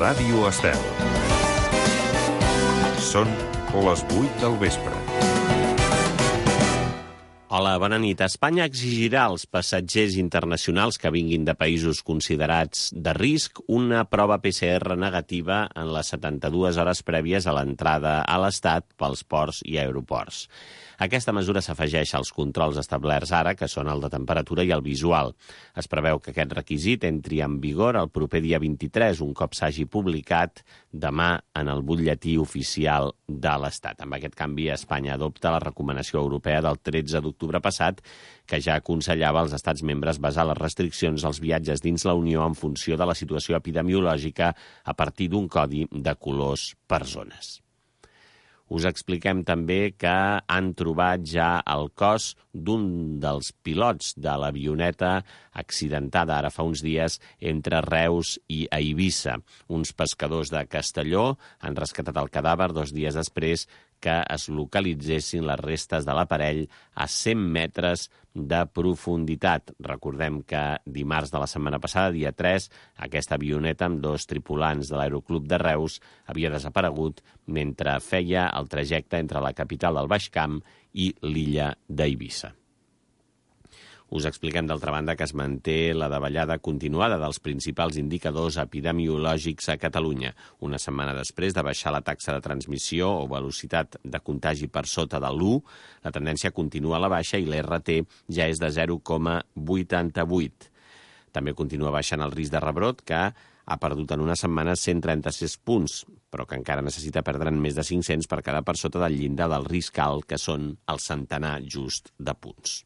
Ràdio Estel. Són les 8 del vespre. Hola, bona nit. Espanya exigirà als passatgers internacionals que vinguin de països considerats de risc una prova PCR negativa en les 72 hores prèvies a l'entrada a l'Estat pels ports i aeroports. Aquesta mesura s'afegeix als controls establerts ara, que són el de temperatura i el visual. Es preveu que aquest requisit entri en vigor el proper dia 23, un cop s'hagi publicat demà en el butlletí oficial de l'Estat. Amb aquest canvi, Espanya adopta la recomanació europea del 13 d'octubre passat, que ja aconsellava als estats membres basar les restriccions als viatges dins la Unió en funció de la situació epidemiològica a partir d'un codi de colors per zones. Us expliquem també que han trobat ja el cos d'un dels pilots de l'avioneta accidentada ara fa uns dies entre Reus i Eivissa. Uns pescadors de Castelló han rescatat el cadàver 2 dies després que es localitzessin les restes de l'aparell a 100 metres de profunditat. Recordem que dimarts de la setmana passada, dia 3, aquesta avioneta amb 2 tripulants de l'Aeroclub de Reus havia desaparegut mentre feia el trajecte entre la capital del Baix Camp i l'illa d'Eivissa. Us expliquem, d'altra banda, que es manté la davallada continuada dels principals indicadors epidemiològics a Catalunya. Una setmana després de baixar la taxa de transmissió o velocitat de contagi per sota de l'1, la tendència continua a la baixa i l'RT ja és de 0,88. També continua baixant el risc de rebrot, que ha perdut en una setmana 136 punts, però que encara necessita perdre'n més de 500 per quedar per sota del llindar del risc alt, que són el centenar just de punts.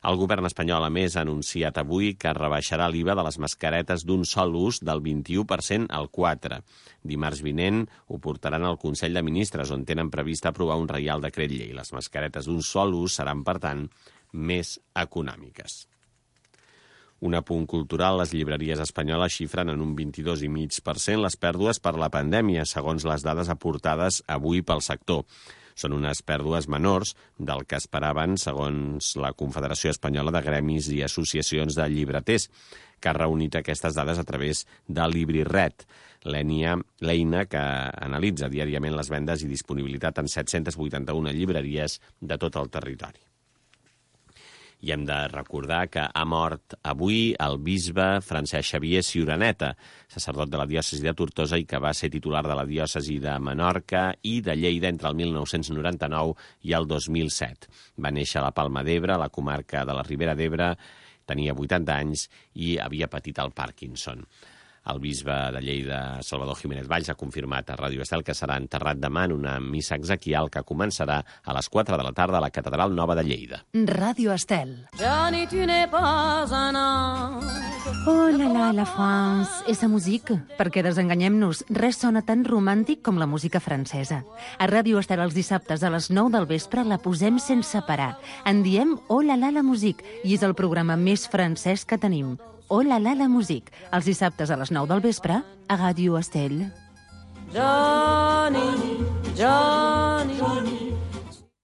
El govern espanyol, a més, ha anunciat avui que rebaixarà l'IVA de les mascaretes d'un sol ús del 21% al 4%. Dimarts vinent ho portaran al Consell de Ministres, on tenen previst aprovar un reial decret llei. Les mascaretes d'un sol ús seran, per tant, més econòmiques. Un apunt cultural, les llibreries espanyoles xifren en un 22,5% les pèrdues per la pandèmia, segons les dades aportades avui pel sector. Són unes pèrdues menors del que esperaven, segons la Confederació Espanyola de Gremis i Associacions de Llibreters, que ha reunit aquestes dades a través de LibriRed, l'eina que analitza diàriament les vendes i disponibilitat en 781 llibreries de tot el territori. I hem de recordar que ha mort avui el bisbe Francesc Xavier Ciuraneta, sacerdot de la diòcesi de Tortosa i que va ser titular de la diòcesi de Menorca i de Lleida entre el 1999 i el 2007. Va néixer a la Palma d'Ebre, a la comarca de la Ribera d'Ebre, tenia 80 anys i havia patit el Parkinson. El bisbe de Lleida, Salvador Jiménez Valls, ha confirmat a Ràdio Estel que serà enterrat demà en una missa exequial que començarà a les 4 de la tarda a la Catedral Nova de Lleida. Ràdio Estel. Johnny, tu n'es pas un ange. Oh là là, la France, esa musique. Perquè desenganyem-nos, res sona tan romàntic com la música francesa. A Ràdio Estel els dissabtes a les 9 del vespre la posem sense parar. En diem Oh là là, la musique, i és el programa més francès que tenim. Oh là là, la musique, els dissabtes a les 9 del vespre a Ràdio Estel. Johnny, Johnny, Johnny.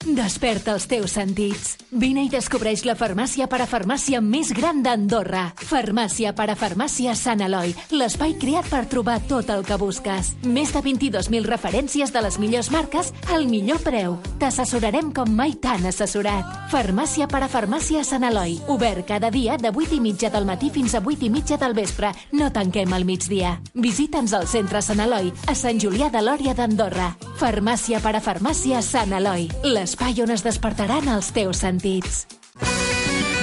Desperta els teus sentits. Vine i descobreix la farmàcia parafarmàcia més gran d'Andorra. Farmàcia parafarmàcia Sant Eloi, l'espai creat per trobar tot el que busques. Més de 22.000 referències de les millors marques al millor preu. T'assessorarem com mai t'han assessorat. Farmàcia parafarmàcia Sant Eloi, obert cada dia de 8:30 del matí fins a 8:30 del vespre. No tanquem al migdia. Visita'ns al centre Sant Eloi, a Sant Julià de Lòria d'Andorra. Farmàcia parafarmàcia Sant Eloi, l'espai on es despertaran els teus sentits.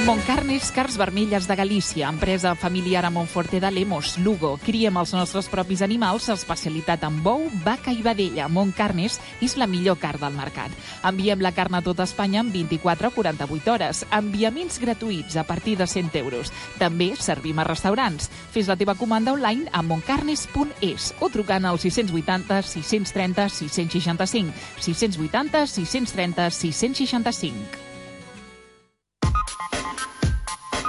Montcarnis Carns Vermelles de Galícia, empresa familiar a Montforte de Lemos, Lugo. Criem els nostres propis animals, especialitat en bou, vaca i vedella. Montcarnis és la millor carn del mercat. Enviem la carn a tota Espanya en 24 o 48 hores. Enviaments gratuïts a partir de 100 euros. També servim a restaurants. Fes la teva comanda online a montcarnis.es o trucant al 680 630 665. 680 630 665.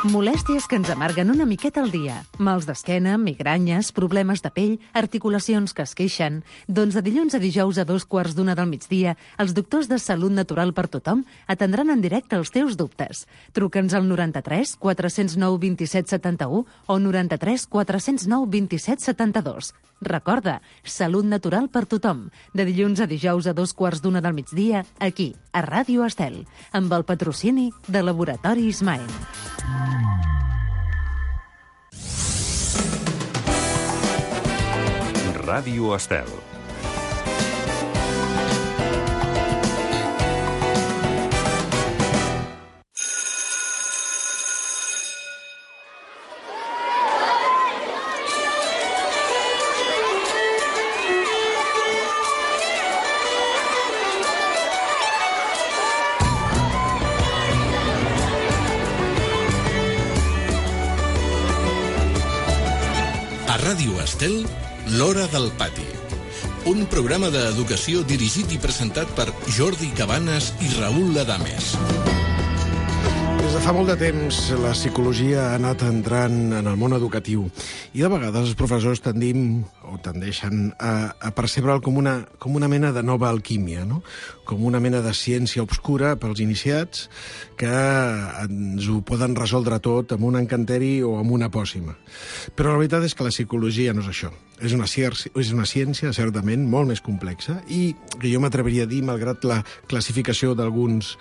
Molèsties que ens amarguen una miqueta al dia. Mals d'esquena, migranyes, problemes de pell, articulacions que es queixen. Doncs de dilluns a dijous a 2:15 del migdia, els doctors de Salut Natural per Tothom atendran en directe els teus dubtes. Truca'ns al 93 409 27 71 o 93 409 27 72. Recorda, salut natural per tothom. De dilluns a dijous a 2:15 del migdia, aquí, a Ràdio Estel, amb el patrocini de Laboratori Ismael. Ràdio Estel. A Ràdio Estel, L'Hora del Pati. Un programa d'educació dirigit i presentat per Jordi Cabanes i Raül Adames. Des de fa molt de temps, la psicologia ha anat entrant en el món educatiu i de vegades els professors tendeixen a percebre'l com una mena de nova alquímia, no? Com una mena de ciència obscura pels iniciats que ens ho poden resoldre tot amb un encanteri o amb una pòcima. Però la veritat és que la psicologia no és això. És una ciència, certament, molt més complexa i que jo m'atreviria a dir, malgrat la classificació d'alguns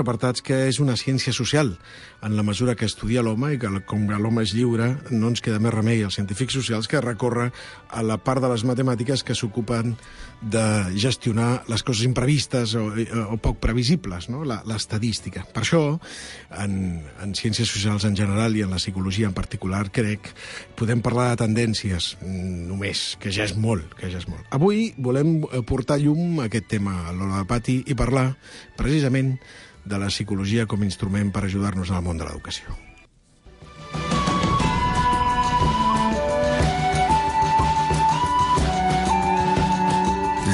apartats, que és una ciència social, en la mesura que estudia l'home i que, com que l'home és lliure, no ens queda més remei als científics socials que recórrer a la part de les matemàtiques que s'ocupen de gestionar les coses imprevistes o poc previsibles, no? L'estadística. Per això, en ciències socials en general i en la psicologia en particular, crec, podem parlar de tendències només, que ja és molt. Avui volem portar llum a aquest tema a l'Hora del Pati i parlar, precisament, de la psicologia com a instrument per ajudar-nos al món de l'educació.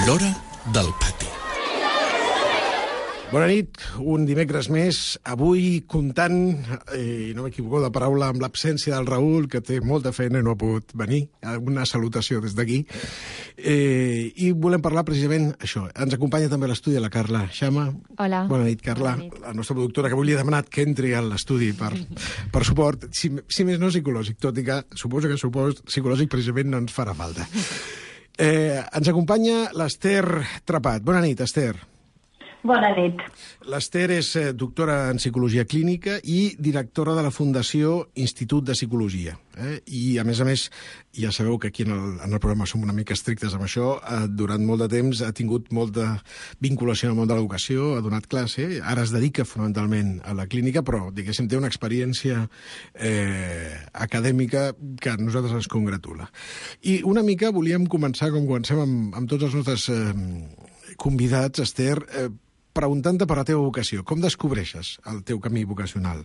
L'Hora del Pati. Bona nit, un dimecres més, avui comptant, i no m'equivoco de paraula, amb l'absència del Raül, que té molta feina i no ha pogut venir, una salutació des d'aquí, i volem parlar precisament això. Ens acompanya també a l'estudi la Carla Xama. Hola. Bona nit, Carla, Bona nit. La nostra productora, que avui li ha demanat que entri a l'estudi per suport, si més no psicològic, tot i que suposo que psicològic precisament no ens farà falta. Ens acompanya l'Ester Trepat. Bona nit, Ester. Bona nit. L'Ester és doctora en Psicologia Clínica i directora de la Fundació Institut de Psicologia. I, a més, ja sabeu que aquí en el programa som una mica estrictes amb això. Durant molt de temps ha tingut molta vinculació amb el món de l'educació, ha donat classe, ara es dedica fonamentalment a la clínica, però, diguéssim, té una experiència acadèmica que a nosaltres ens congratula. I una mica volíem començar, com comencem amb tots els nostres convidats, Ester, preguntant-te per la teva vocació. Com descobreixes el teu camí vocacional?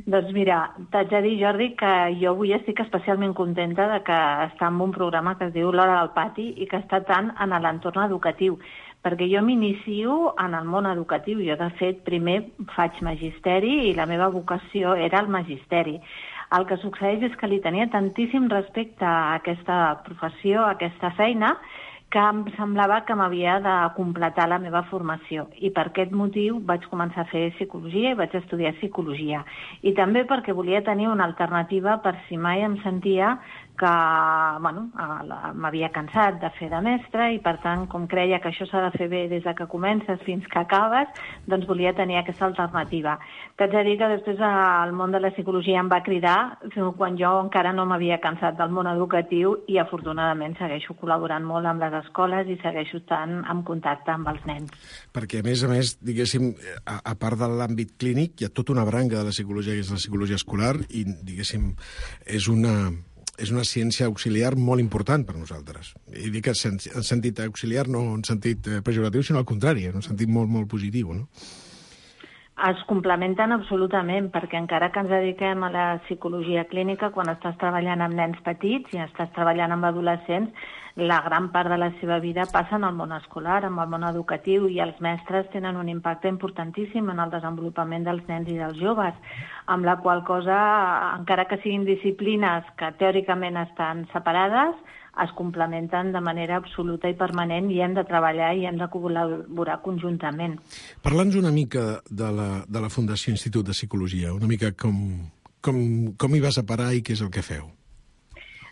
Doncs mira, t'haig de dir, Jordi, que jo avui estic especialment contenta de que està en un programa que es diu L'Hora del Pati i que està tant en l'entorn educatiu, perquè jo m'inicio en el món educatiu. Jo, de fet, primer faig magisteri i la meva vocació era el magisteri. El que succeeix és que li tenia tantíssim respecte a aquesta professió, a aquesta feina, que em semblava que m'havia de completar la meva formació. I per aquest motiu vaig començar a fer psicologia i vaig estudiar psicologia. I també perquè volia tenir una alternativa per si mai em sentia que m'havia cansat de fer de mestre i, per tant, com creia que això s'ha de fer bé des de que comences fins que acabes, doncs volia tenir aquesta alternativa. T'haig de dir que després el món de la psicologia em va cridar quan jo encara no m'havia cansat del món educatiu i, afortunadament, segueixo col·laborant molt amb les escoles i segueixo estant en contacte amb els nens. Perquè, a més, diguéssim, a part de l'àmbit clínic, hi ha tota una branca de la psicologia, que és la psicologia escolar, i, diguéssim, és una ciència auxiliar molt important per nosaltres. I dic en sentit auxiliar, no en sentit pejoratiu, sinó al contrari, en un sentit molt, molt positiu, no? Es complementen absolutament, perquè encara que ens dediquem a la psicologia clínica, quan estàs treballant amb nens petits i estàs treballant amb adolescents, la gran part de la seva vida passa en el món escolar, en el món educatiu, i els mestres tenen un impacte importantíssim en el desenvolupament dels nens i dels joves, amb la qual cosa, encara que siguin disciplines que teòricament estan separades, es complementen de manera absoluta i permanent i hem de treballar i hem de col·laborar conjuntament. Parla'ns una mica de la Fundació Institut de Psicologia, una mica com hi vas a parar i què és el que feu.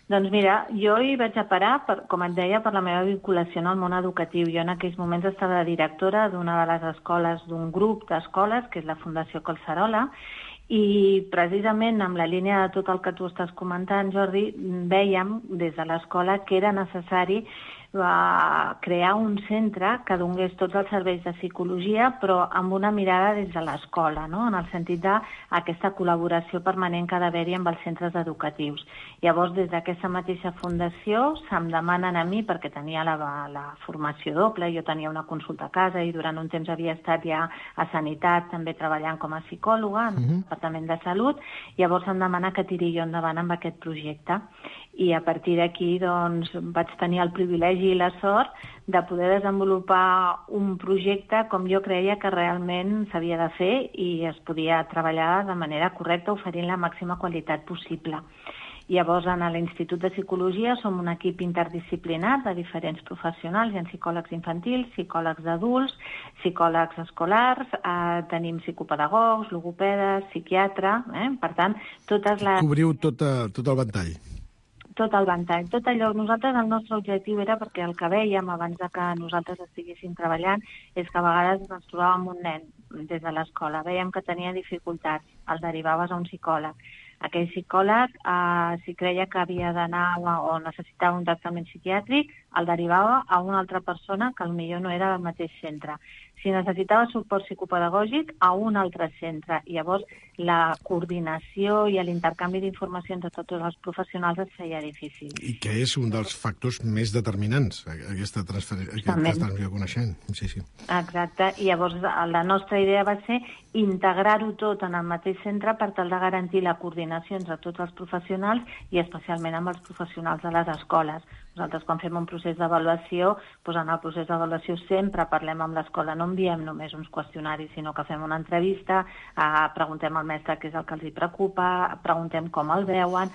Doncs mira, jo hi vaig a parar, com et deia, per la meva vinculació en el món educatiu. Jo en aquells moments estava de directora d'una de les escoles, d'un grup d'escoles, que és la Fundació Collserola, i precisament amb la línia de tot el que tu estàs comentant, Jordi, vèiem des de l'escola que era necessari crear un centre que donés tots els serveis de psicologia, però amb una mirada des de l'escola, no? En el sentit d'aquesta col·laboració permanent que ha d'haver-hi amb els centres educatius. Llavors, des d'aquesta mateixa fundació, se'm demanen a mi, perquè tenia la formació doble, jo tenia una consulta a casa i durant un temps havia estat ja a Sanitat, també treballant com a psicòloga en el Departament de Salut, llavors em demana que tiri jo endavant amb aquest projecte. I a partir d'aquí doncs, vaig tenir el privilegi i la sort de poder desenvolupar un projecte com jo creia que realment s'havia de fer i es podia treballar de manera correcta, oferint la màxima qualitat possible. Llavors, en l'Institut de Psicologia som un equip interdisciplinar de diferents professionals. Hi ha psicòlegs infantils, psicòlegs d'adults, psicòlegs escolars, tenim psicopedagogs, logopedes, psiquiatre. Per tant, totes les... Cobriu tot el ventall. Tot el ventall, tot allò. Nosaltres, el nostre objectiu era, perquè el que vèiem abans de que nosaltres estiguéssim treballant, és que a vegades ens trobàvem un nen des de l'escola. Veiem que tenia dificultats, el derivaves a un psicòleg. Aquell psicòleg, si creia que havia d'anar o necessitava un tractament psiquiàtric, el derivava a una altra persona que potser no era del mateix centre. Si necessitava suport psicopedagògic, a un altre centre. I llavors la coordinació i l'intercanvi d'informacions de tots els professionals es feia difícil. I que és un dels factors més determinants, aquesta transmissió de coneixement. Sí. Exacte. I llavors la nostra idea va ser integrar-ho tot en el mateix centre per tal de garantir la coordinació entre tots els professionals i especialment amb els professionals de les escoles. Nosaltres, quan fem un procés d'avaluació, doncs en el procés d'avaluació sempre parlem amb l'escola, no enviem només uns qüestionaris, sinó que fem una entrevista, preguntem al mestre què és el que els hi preocupa, preguntem com el veuen,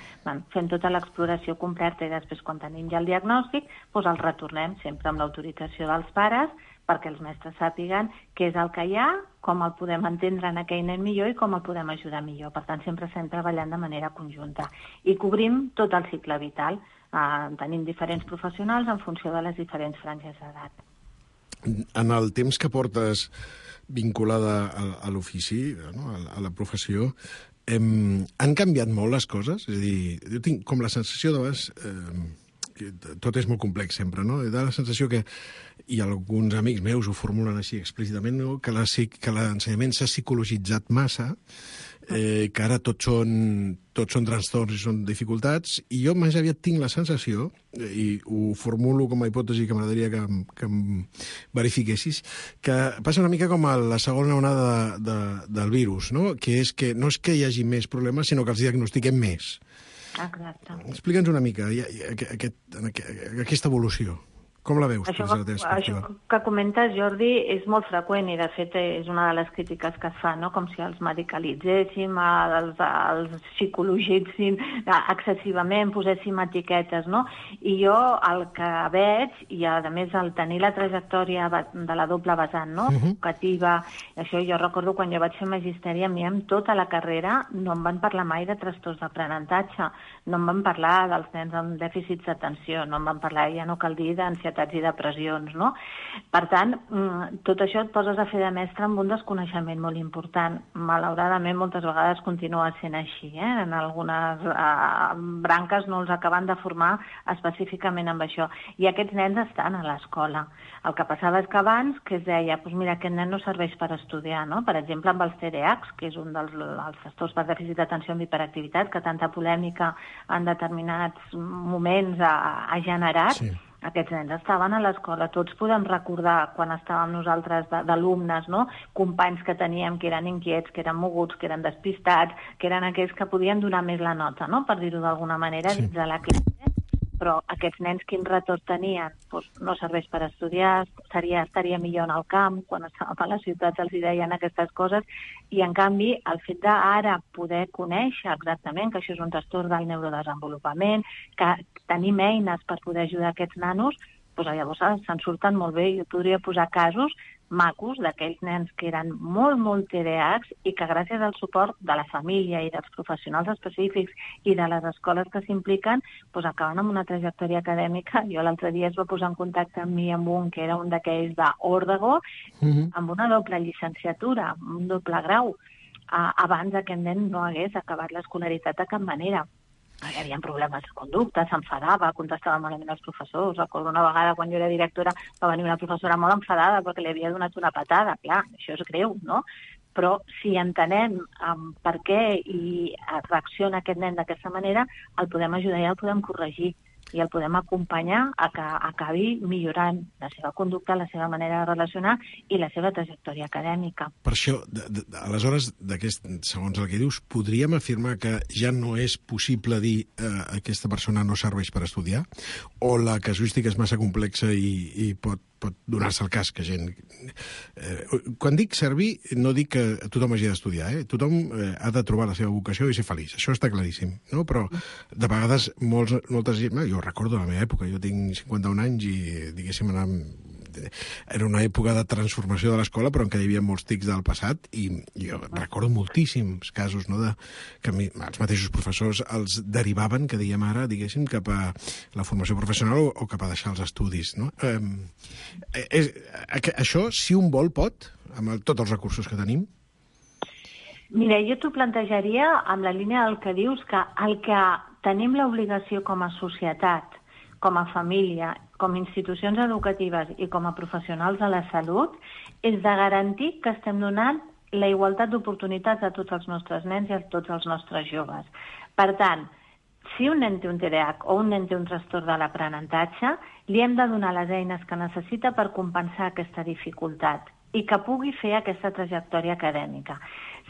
fem tota l'exploració completa i després, quan tenim ja el diagnòstic, doncs el retornem sempre amb l'autorització dels pares perquè els mestres sàpiguen què és el que hi ha, com el podem entendre en aquell nen millor i com el podem ajudar millor. Per tant, sempre estem treballant de manera conjunta. I cobrim tot el cicle vital. Tenim diferents professionals en funció de les diferents franges d'edat. En el temps que portes vinculada a l'ofici, a la professió, han canviat molt les coses? És a dir, jo tinc com la sensació de vegades... tot és molt complex sempre, no? Da la sensació que, i alguns amics meus ho formulen així explícitament, no? que l'ensenyament s'ha psicologitzat massa, que ara tots són trastorns i són dificultats, i jo més aviat tinc la sensació, i ho formulo com a hipòtesi que m'agradaria que em verifiquessis, que passa una mica com a la segona onada del virus, no? Que és que no és que hi hagi més problemes, sinó que els diagnostiquem més. Exacte. Explica'ns una mica aquesta evolució. Com la veus? Això que comentes, Jordi, és molt freqüent i, de fet, és una de les crítiques que es fa, no? Com si els medicalitzéssim, els psicologitzin excessivament, poséssim etiquetes, no? I jo el que veig, i a més el tenir la trajectòria de la doble vessant, no? Educativa, això jo recordo quan jo vaig fer magisteri, a mi amb tota la carrera no em van parlar mai de trastorns d'aprenentatge, no em van parlar dels nens amb dèficits d'atenció, no em van parlar, ja no cal dir, d'ansietats i depressions, no? Per tant, tot això et poses a fer de mestre amb un desconeixement molt important. Malauradament, moltes vegades continua sent així, En algunes branques no els acaben de formar específicament amb això. I aquests nens estan a l'escola. El que passava és que abans, que es deia, doncs mira, aquest nen no serveix per estudiar, no? Per exemple, amb els TDAHs, que és un dels trastorns per dèficit d'atenció amb hiperactivitat, que tanta polèmica en determinats moments ha generat. Sí. Aquests nens estaven a l'escola. Tots podem recordar quan estàvem nosaltres d'alumnes, no? Companys que teníem que eren inquiets, que eren moguts, que eren despistats, que eren aquells que podien donar més la nota, no? Per dir-ho d'alguna manera, dins de la classe. Però aquests nens quin retorn tenien? Doncs no serveix per estudiar, estaria millor en el camp, quan estàvem a les ciutats els deien aquestes coses, i en canvi el fet d'ara poder conèixer exactament que això és un trastorn del neurodesenvolupament, que tenim eines per poder ajudar aquests nanos, llavors se'n surten molt bé. Jo podria posar casos macos d'aquells nens que eren molt TDAHs i que gràcies al suport de la família i dels professionals específics i de les escoles que s'impliquen, acaben amb una trajectòria acadèmica. Jo l'altre dia es va posar en contacte amb mi amb un que era un d'aquells d'Òrdego, amb una doble llicenciatura, un doble grau, abans aquest nen no hagués acabat l'escolaritat de cap manera. Hi havia problemes de conducta, s'enfadava, contestava malament als professors. Recordo una vegada, quan jo era directora, va venir una professora molt enfadada perquè li havia donat una patada. Clar, això és greu, no? Però si entenem per què i reacciona aquest nen d'aquesta manera, el podem ajudar i el podem corregir i el podem acompanyar a que acabi millorant la seva conducta, la seva manera de relacionar i la seva trajectòria acadèmica. Per això, aleshores, segons el que dius, podríem afirmar que ja no és possible dir aquesta persona no serveix per estudiar? O la casuística és massa complexa i pot donar-se el cas que gent... Quan dic servir, no dic que tothom hagi d'estudiar, Tothom ha de trobar la seva vocació i ser feliç. Això està claríssim, no? Però de vegades molta gent... Jo recordo la meva època, jo tinc 51 anys i, diguéssim, era una època de transformació de l'escola, però en què hi havia molts tics del passat, i jo recordo moltíssims casos, no, que els mateixos professors els derivaven, que diem ara, diguéssim, cap a la formació professional o cap a deixar els estudis, no? Això, si un vol, pot, amb tots els recursos que tenim? Mira, jo t'ho plantejaria amb la línia del que dius, que el que tenim l'obligació com a societat, com a família, com a institucions educatives i com a professionals de la salut, és de garantir que estem donant la igualtat d'oportunitats a tots els nostres nens i a tots els nostres joves. Per tant, si un nen té un TDAH o un nen té un trastorn de l'aprenentatge, li hem de donar les eines que necessita per compensar aquesta dificultat i que pugui fer aquesta trajectòria acadèmica.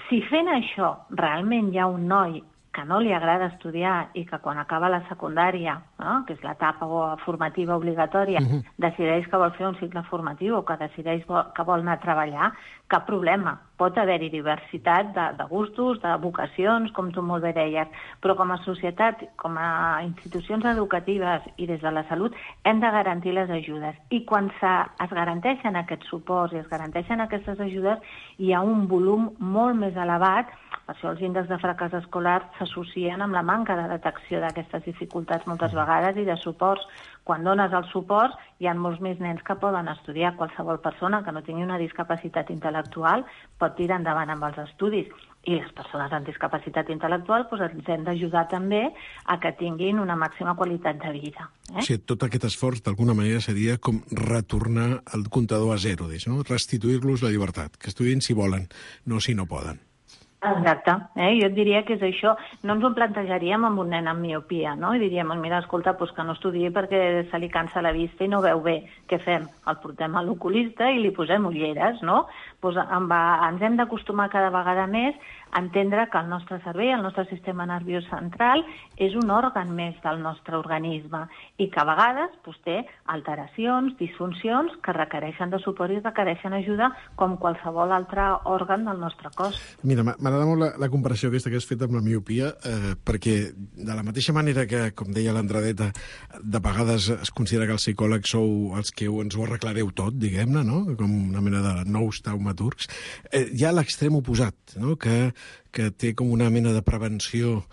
Si fent això realment hi ha un noi que no li agrada estudiar i que quan acaba la secundària, no, que és l'etapa formativa obligatòria, decideix que vol fer un cicle formatiu o que decideix que vol anar a treballar, cap problema. Pot haver-hi diversitat de gustos, de vocacions, com tu molt bé deies, però com a societat, com a institucions educatives i des de la salut, hem de garantir les ajudes. I quan es garanteixen aquests suports i es garanteixen aquestes ajudes, hi ha un volum molt més elevat. Per això els índexs de fracàs escolar s'associen amb la manca de detecció d'aquestes dificultats moltes vegades i de suports. Quan dones el suport, hi ha molts més nens que poden estudiar. Qualsevol persona que no tingui una discapacitat intel·lectual pot tirar endavant amb els estudis. I les persones amb discapacitat intel·lectual ens hem d'ajudar també a que tinguin una màxima qualitat de vida. O sigui, tot aquest esforç, d'alguna manera, seria com retornar el comptador a zero, no? Restituir-los la llibertat, que estudien si volen, no si no poden. Exacte. Jo et diria que és això. No ens ho plantejaríem amb un nen amb miopia, no? I diríem, mira, escolta, que no estudiï perquè se li cansa la vista i no veu bé. Què fem? El portem a l'oculista i li posem ulleres, no? Ens hem d'acostumar cada vegada més a entendre que el nostre cervell, el nostre sistema nerviós central, és un òrgan més del nostre organisme i que a vegades té alteracions, disfuncions que requereixen de suport i requereixen ajuda com qualsevol altre òrgan del nostre cos. Mira, m'agrada molt la comparació aquesta que has fet amb la miopia, perquè de la mateixa manera que, com deia l'Andradeta, de vegades es considera que els psicòlegs sou els que ens ho arreglareu tot, diguem-ne, no? Com una mena de nous taumaturgs, hi ha l'extrem oposat, no? Que té com una mena de prevenció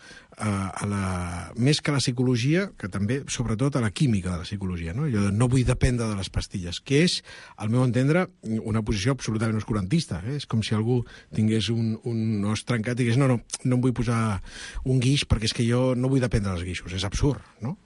més que a la psicologia, que també, sobretot, a la química de la psicologia, no? Jo no vull dependre de les pastilles, que és, al meu entendre, una posició absolutament oscurantista. És com si algú tingués un os trencat i digués no em vull posar un guix perquè és que jo no vull dependre dels guixos. És absurd, no?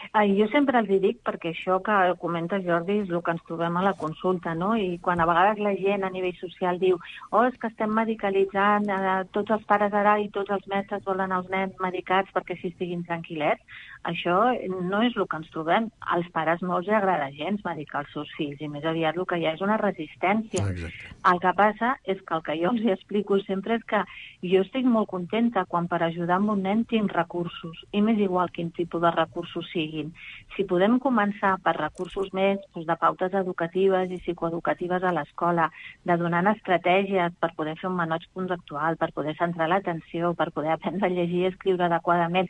Jo sempre els dic, perquè això que comenta Jordi és el que ens trobem a la consulta, no? I quan a vegades la gent a nivell social diu és que estem medicalitzant, tots els pares ara i tots els mestres volen els nens medicats perquè així estiguin tranquil·lets, això no és el que ens trobem. Als pares no els agrada gens medicar els seus fills i més aviat el que hi ha és una resistència. Exacte. El que passa és que el que jo els explico sempre és que jo estic molt contenta quan per ajudar un nen tinc recursos, i m'és igual quin tipus de recursos siguin. Si podem començar per recursos més de pautes educatives i psicoeducatives a l'escola, de donar estratègies per poder fer un menoig conductual, per poder centrar l'atenció, per poder aprendre a llegir i escriure adequadament,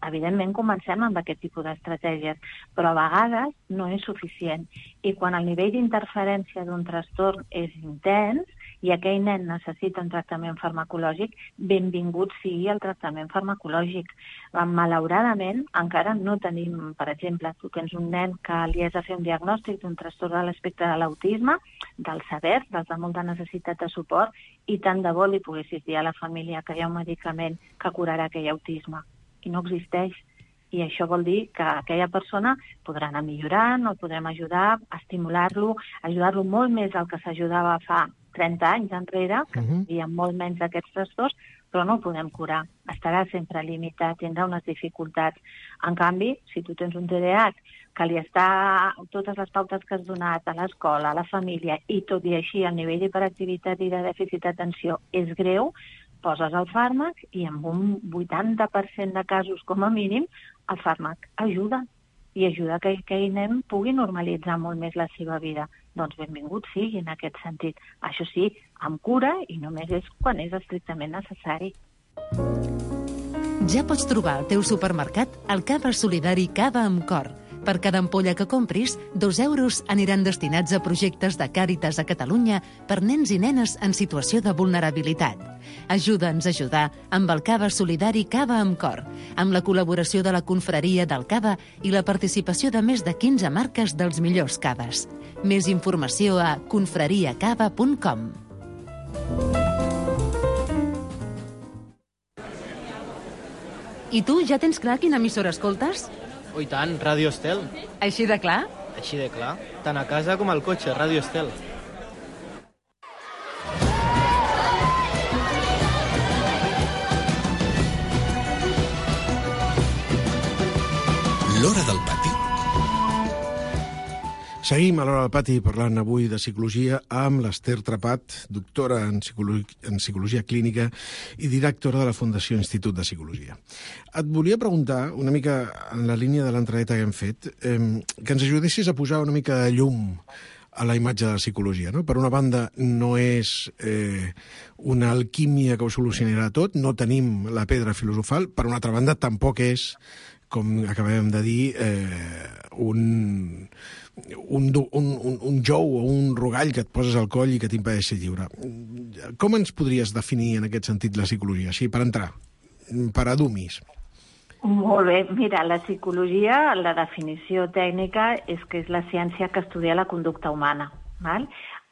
evidentment comencem avancem amb aquest tipus d'estratègies, però a vegades no és suficient. I quan el nivell d'interferència d'un trastorn és intens i aquell nen necessita un tractament farmacològic, benvingut sigui el tractament farmacològic. Malauradament, encara no tenim, per exemple, tu tens un nen que li has de fer un diagnòstic d'un trastorn de l'espectre de l'autisme, dels severs, dels de molta necessitat de suport, i tant de bo li poguessis dir a la família que hi ha un medicament que curarà aquell autisme. I no existeix. I això vol dir que aquella persona podrà anar millorant, el podrem ajudar, estimular-lo, ajudar-lo molt més del que s'ajudava fa 30 anys enrere, que hi havia molt menys d'aquests trastorns, però no el podem curar. Estarà sempre limitat, tindrà unes dificultats. En canvi, si tu tens un TDAH que li està totes les pautes que has donat a l'escola, a la família, i tot i així el nivell d'hiperactivitat i de dèficit d'atenció és greu, poses el fàrmac i en un 80% de casos, com a mínim, el fàrmac ajuda. I ajuda que aquell nen pugui normalitzar molt més la seva vida. Doncs benvingut sigui en aquest sentit. Això sí, amb cura i només és quan és estrictament necessari. Ja pots trobar al teu supermercat el Cava Solidari Cava amb Cor. Per cada ampolla que compris, 2 euros aniran destinats a projectes de Càritas a Catalunya per nens i nenes en situació de vulnerabilitat. Ajuda'ns a ajudar amb el Cava Solidari Cava amb Cor, amb la col·laboració de la Confraria del Cava i la participació de més de 15 marques dels millors caves. Més informació a confrariacava.com. I tu ja tens clar quina emissora escoltes? Oh, i tant, Ràdio Estel. Així de clar? Així de clar. Tant a casa com al cotxe, Ràdio Estel. L'Hora del Pati. Seguim a l'Hora del Pati parlant avui de psicologia amb l'Ester Trepat, doctora en psicologia clínica i directora de la Fundació Institut de Psicologia. Et volia preguntar, una mica en la línia de l'entradeta que hem fet, que ens ajudessis a posar una mica de llum a la imatge de la psicologia, no? Per una banda, no és una alquímia que ho solucionarà tot, no tenim la pedra filosofal, per una altra banda, tampoc és, com acabem de dir, un jou o un rogall que et poses al coll i que t'impedeix ser lliure. Com ens podries definir en aquest sentit la psicologia, així per entrar, per a dummies? Molt bé. Mira, la psicologia, la definició tècnica és que és la ciència que estudia la conducta humana, val?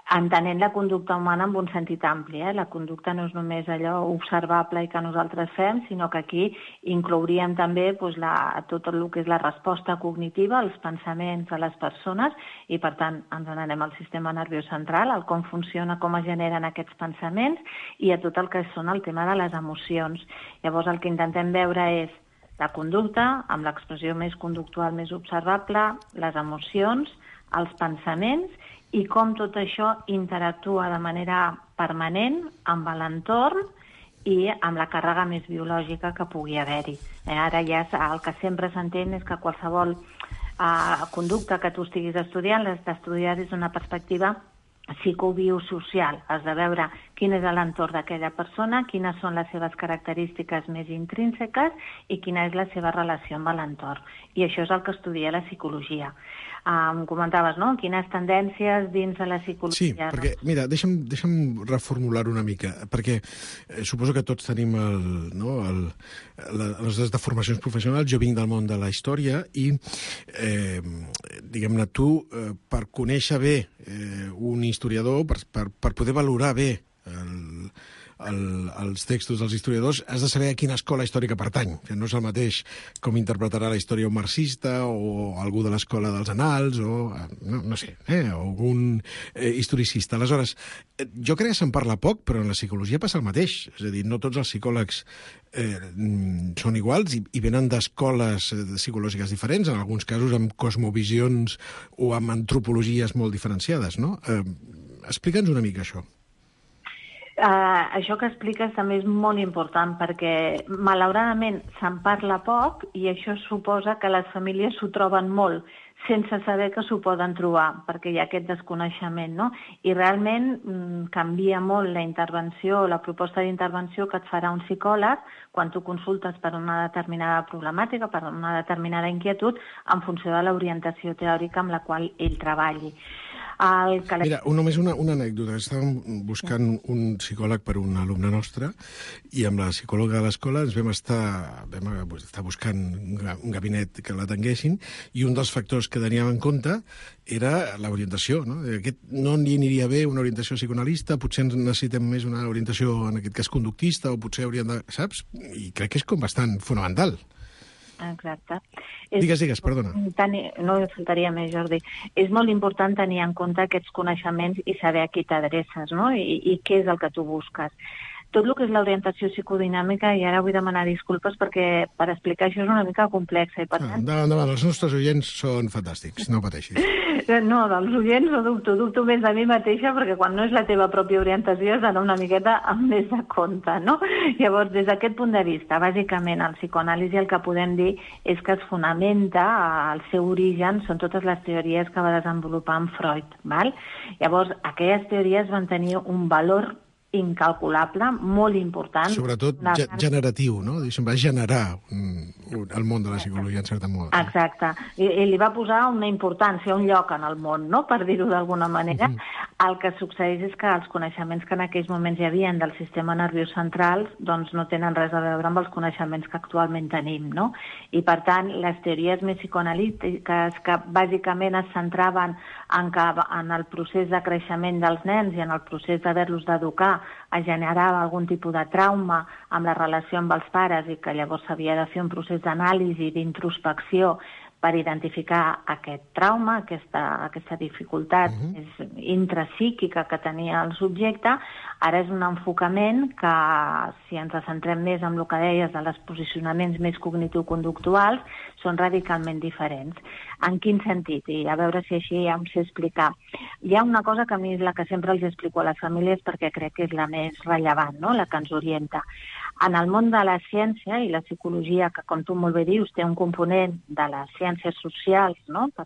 Entenent la conducta humana en un sentit ampli. La conducta no és només allò observable i que nosaltres fem, sinó que aquí inclouríem també tot el que és la resposta cognitiva, els pensaments de les persones, i per tant ens n'anem al sistema nerviós central, el com funciona, com es generen aquests pensaments, i a tot el que són el tema de les emocions. Llavors el que intentem veure és la conducta, amb l'expressió més conductual, més observable, les emocions, els pensaments, i com tot això interactua de manera permanent amb l'entorn i amb la càrrega més biològica que pugui haver-hi. Ara ja el que sempre s'entén és que qualsevol conducta que tu estiguis estudiant l'has d'estudiar des d'una perspectiva psicobiosocial. Has de veure quin és l'entorn d'aquella persona, quines són les seves característiques més intrínseques i quina és la seva relació amb l'entorn. I això és el que estudia la psicologia. Em comentaves, no?, quines tendències dins de la psicologia. Sí, perquè, mira, deixa'm reformular una mica, perquè suposo que tots tenim les formacions professionals. Jo vinc del món de la història i, diguem-ne, tu, per conèixer bé un historiador, per poder valorar bé els textos dels historiadors, has de saber a quina escola històrica pertany. No és el mateix com interpretarà la història un marxista o algú de l'escola dels annals o, no sé, algun historicista. Aleshores, jo crec que se'n parla poc, però en la psicologia passa el mateix. És a dir, no tots els psicòlegs són iguals i venen d'escoles psicològiques diferents, en alguns casos amb cosmovisions o amb antropologies molt diferenciades, no? Explica'ns una mica això. Això que expliques també és molt important perquè, malauradament, se'n parla poc i això suposa que les famílies s'ho troben molt sense saber que s'ho poden trobar, perquè hi ha aquest desconeixement, no? I realment canvia molt la intervenció, la proposta d'intervenció que et farà un psicòleg quan tu consultes per una determinada problemàtica, per una determinada inquietud, en funció de l'orientació teòrica amb la qual ell treballi. Mira, només una anècdota. Estàvem buscant un psicòleg per un alumne nostre i amb la psicòloga de l'escola ens vam estar buscant un gabinet que l'atenguessin i un dels factors que teníem en compte era l'orientació. No? No li aniria bé una orientació psicoanalista, potser necessitem més una orientació, en aquest cas, conductista, o potser hauríem de... Saps? I crec que és com bastant fonamental. Exacte. Digues, perdona. No faltaria més, Jordi. És molt important tenir en compte aquests coneixements i saber a qui t'adreces, no? I què és el que tu busques. Tot el que és l'orientació psicodinàmica, i ara vull demanar disculpes perquè per explicar això és una mica complexa. I per tant... Endavant, els nostres oients són fantàstics, no pateixis. No, dels oients no dubto més de mi mateixa perquè quan no és la teva pròpia orientació has d'anar una miqueta amb més de compte, no? Llavors, des d'aquest punt de vista, bàsicament el psicoanàlisi el que podem dir és que es fonamenta, el seu origen són totes les teories que va desenvolupar en Freud, val? Llavors, aquelles teories van tenir un valor incalculable, molt important. Sobretot generatiu, no? Va generar el món de la psicologia, en certa moda. Exacte. I li va posar una importància, un lloc en el món, no?, per dir-ho d'alguna manera. El que succeeix és que els coneixements que en aquells moments hi havia del sistema nerviós central doncs no tenen res a veure amb els coneixements que actualment tenim, no? I, per tant, les teories més psicoanalítiques que bàsicament es centraven en el procés de creixement dels nens i en el procés d'haver-los d'educar es generava algun tipus de trauma amb la relació amb els pares i que llavors s'havia de fer un procés d'anàlisi, d'introspecció per identificar aquest trauma, aquesta dificultat intrapsíquica que tenia el subjecte. Ara és un enfocament que, si ens centrem més en el que deies de els posicionaments més cognitivo-conductuals, són radicalment diferents. En quin sentit? I a veure si així ja em sé explicar. Hi ha una cosa que a mi és la que sempre els explico a les famílies perquè crec que és la més rellevant, no?, la que ens orienta. En el món de la ciència i la psicologia, que com tu molt bé dius, té un component de les ciències socials, no?, per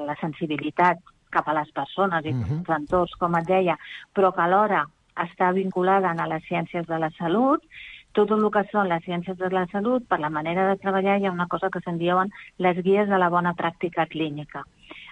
la sensibilitat cap a les persones i els entorns, com et deia, però que alhora està vinculada a les ciències de la salut, tot el que són les ciències de la salut, per la manera de treballar, hi ha una cosa que se'n diuen les guies de la bona pràctica clínica.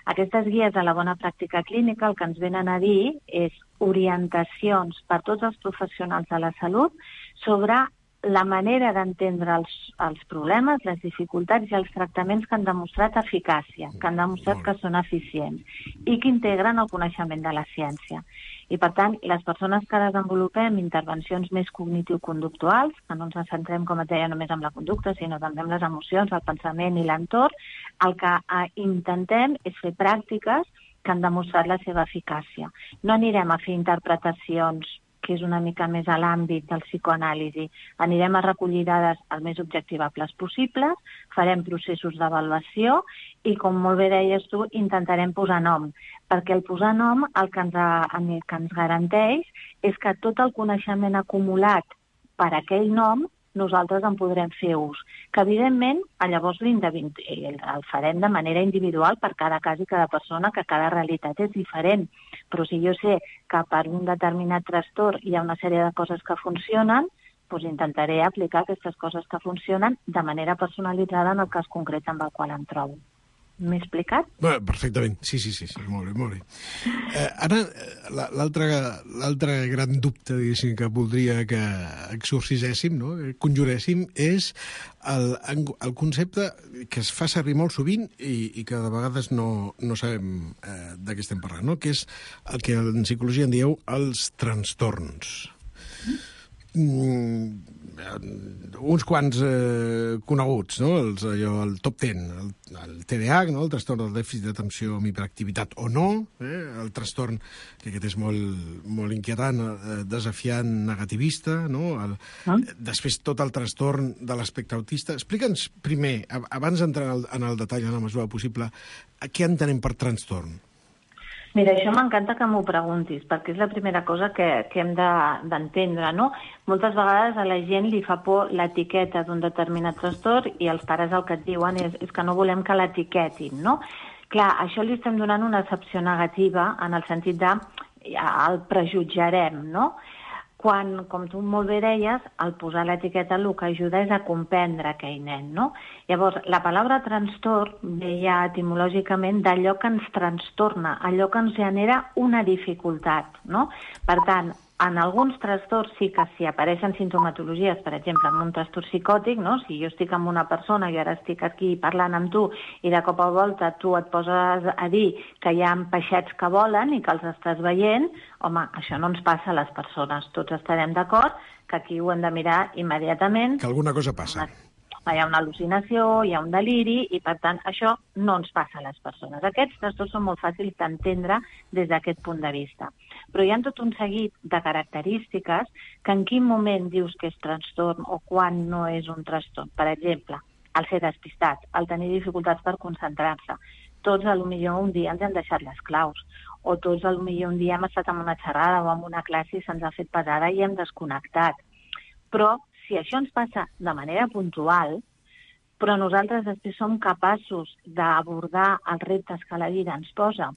Aquestes guies de la bona pràctica clínica el que ens venen a dir és orientacions per tots els professionals de la salut sobre la manera d'entendre els problemes, les dificultats i els tractaments que han demostrat eficàcia, que han demostrat que són eficients i que integren el coneixement de la ciència. I, per tant, les persones que desenvolupem intervencions més cognitivo-conductuals, que no ens centrem, com et deia, només en la conducta, sinó també en les emocions, el pensament i l'entorn, el que intentem és fer pràctiques que han demostrat la seva eficàcia. No anirem a fer interpretacions que és una mica més a l'àmbit del psicoanàlisi. Anirem a recollir dades el més objectivables possibles, farem processos d'avaluació i, com molt bé deies tu, intentarem posar nom, perquè el posar nom el que ens garanteix és que tot el coneixement acumulat per aquell nom nosaltres en podrem fer ús, que evidentment llavors el farem de manera individual per cada cas i cada persona, que cada realitat és diferent. Però si jo sé que per un determinat trastorn hi ha una sèrie de coses que funcionen, doncs intentaré aplicar aquestes coses que funcionen de manera personalitzada en el cas concret amb el qual em trobo. M'he explicat? Bé, perfectament, sí, molt bé. Ara, l'altre gran dubte, diguéssim, que voldria que exorciséssim, no?, conjuréssim, és el concepte que es fa servir molt sovint i que de vegades no sabem de què estem parlant, no?, que és el que en psicologia en dieu els trastorns. Uns quants coneguts, no?, el top 10, el TDAH, no?, el trastorn del dèficit d'atenció amb hiperactivitat o no, el trastorn, que aquest és molt inquietant, desafiant negativista, no?, després tot el trastorn de l'espectre autista. Explica'ns primer, abans d'entrar en el detall en la mesura possible, què entenem per trastorn? Mira, això m'encanta que m'ho preguntis, perquè és la primera cosa que hem d'entendre, no? Moltes vegades a la gent li fa por l'etiqueta d'un determinat trastorn i els pares el que et diuen és que no volem que l'etiquetin, no? Clar, això li estem donant una accepció negativa en el sentit de el prejutjarem, no? Quan, com tu molt bé deies, al posar l'etiqueta el que ajuda és a comprendre aquell nen, no? Llavors, la paraula trastorn ve ja etimològicament d'allò que ens trastorna, allò que ens genera una dificultat, no? Per tant, en alguns trastorns sí que si apareixen sintomatologies, per exemple, en un trastorn psicòtic, no? Si jo estic amb una persona i ara estic aquí parlant amb tu i de cop a volta tu et poses a dir que hi ha peixets que volen i que els estàs veient, home, això no ens passa a les persones. Tots estarem d'acord que aquí ho hem de mirar immediatament. Que alguna cosa passa. Hi ha una al·lucinació, hi ha un deliri i, per tant, això no ens passa a les persones. Aquests trastorns són molt fàcils d'entendre des d'aquest punt de vista. Però hi ha tot un seguit de característiques que en quin moment dius que és trastorn o quan no és un trastorn. Per exemple, el ser despistat, el tenir dificultats per concentrar-se. Tots, potser un dia ens han deixat les claus, o tots, potser un dia hem estat en una xerrada o en una classe i se'ns ha fet pesada i hem desconnectat. Però si això ens passa de manera puntual, però nosaltres després som capaços d'abordar els reptes que la vida ens posa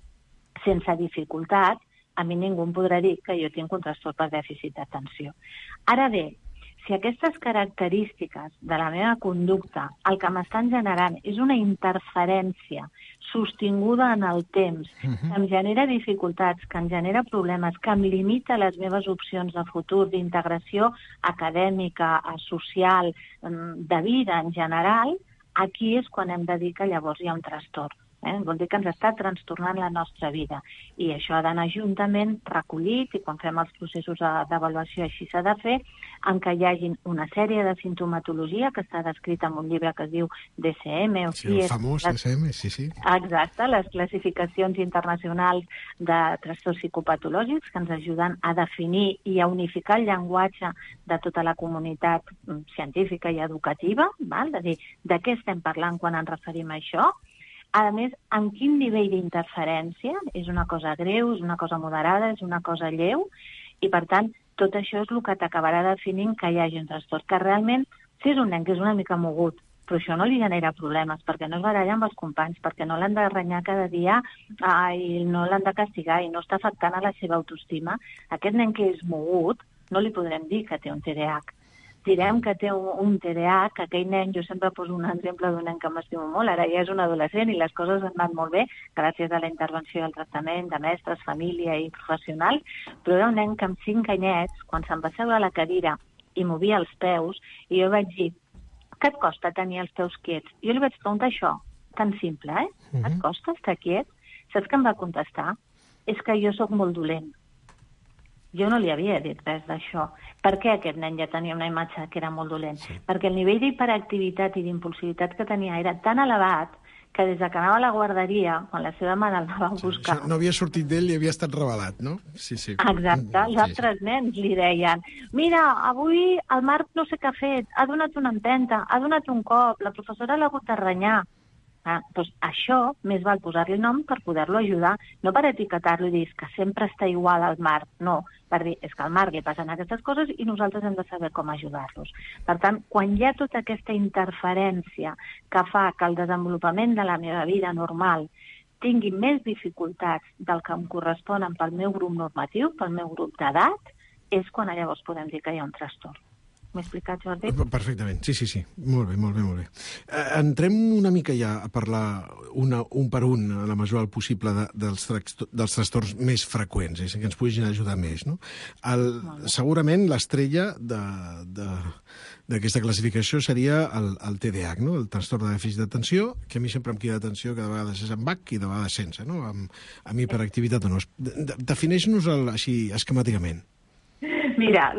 sense dificultat, a mi ningú em podrà dir que jo tinc un trastorn per dèficit d'atenció. Ara bé, si aquestes característiques de la meva conducta el que m'estan generant és una interferència sostinguda en el temps, que em genera dificultats, que em genera problemes, que em limita les meves opcions de futur, d'integració acadèmica, social, de vida en general, aquí és quan hem de dir que llavors hi ha un trastorn. Vol dir que ens està trastornant la nostra vida. I això ha d'anar juntament recollit, i quan fem els processos d'avaluació així s'ha de fer, en què hi hagi una sèrie de sintomatologia que està descrita en un llibre que es diu DSM. Sí, el famós DSM, sí. Exacte, les classificacions internacionals de trastorns psicopatològics que ens ajuden a definir i a unificar el llenguatge de tota la comunitat científica i educativa, val? És a dir, de què estem parlant quan ens referim a això? A més, en quin nivell d'interferència? És una cosa greu, és una cosa moderada, és una cosa lleu? I, per tant, tot això és el que t'acabarà definint que hi hagi un trastorn. Que realment, si és un nen que és una mica mogut, però això no li genera problemes, perquè no es baralla amb els companys, perquè no l'han de renyar cada dia i no l'han de castigar i no està afectant a la seva autoestima, aquest nen que és mogut no li podrem dir que té un TDAH. Direm que té un TDAH, que aquell nen, jo sempre poso un exemple d'un nen que m'estimo molt, ara ja és un adolescent i les coses han anat molt bé gràcies a la intervenció i al tractament de mestres, família i professionals, però era un nen que amb 5 anyets, quan se'n va seure a la cadira i movia els peus, i jo vaig dir, què et costa tenir els peus quiets? Jo li vaig preguntar això, tan simple, Et costa estar quiet? Saps què em va contestar? És que jo sóc molt dolent. Jo no li havia dit res d'això. Per què aquest nen ja tenia una imatge que era molt dolent? Sí. Perquè el nivell d'hiperactivitat i d'impulsivitat que tenia era tan elevat que des que anava a la guarderia, quan la seva mare el va buscar... No havia sortit d'ell i havia estat revelat, no? Sí. Exacte. Els altres nens li deien mira, avui el Marc no sé què ha fet, ha donat una empenta, ha donat un cop, la professora l'ha hagut de renyar. Doncs això més val posar-li nom per poder-lo ajudar, no per etiquetar-lo i dir que sempre està igual al Marc, no, per dir, és que al Marc li passen aquestes coses i nosaltres hem de saber com ajudar-los. Per tant, quan hi ha tota aquesta interferència que fa que el desenvolupament de la meva vida normal tingui més dificultats del que em corresponen pel meu grup normatiu, pel meu grup d'edat, és quan llavors podem dir que hi ha un trastorn. M'he explicat, Jordi? Perfectament, sí. Molt bé. Entrem una mica ja a parlar un per un, a la mesura del possible, dels trastorns més freqüents, que ens puguin ajudar més, no? Segurament l'estrella d'aquesta classificació seria el TDAH, no? El trastorn de dèficit d'atenció, que a mi sempre em crida l'atenció que de vegades és amb H i de vegades sense, no? Amb hiperactivitat o no. Defineix-nos així esquemàticament. Mira,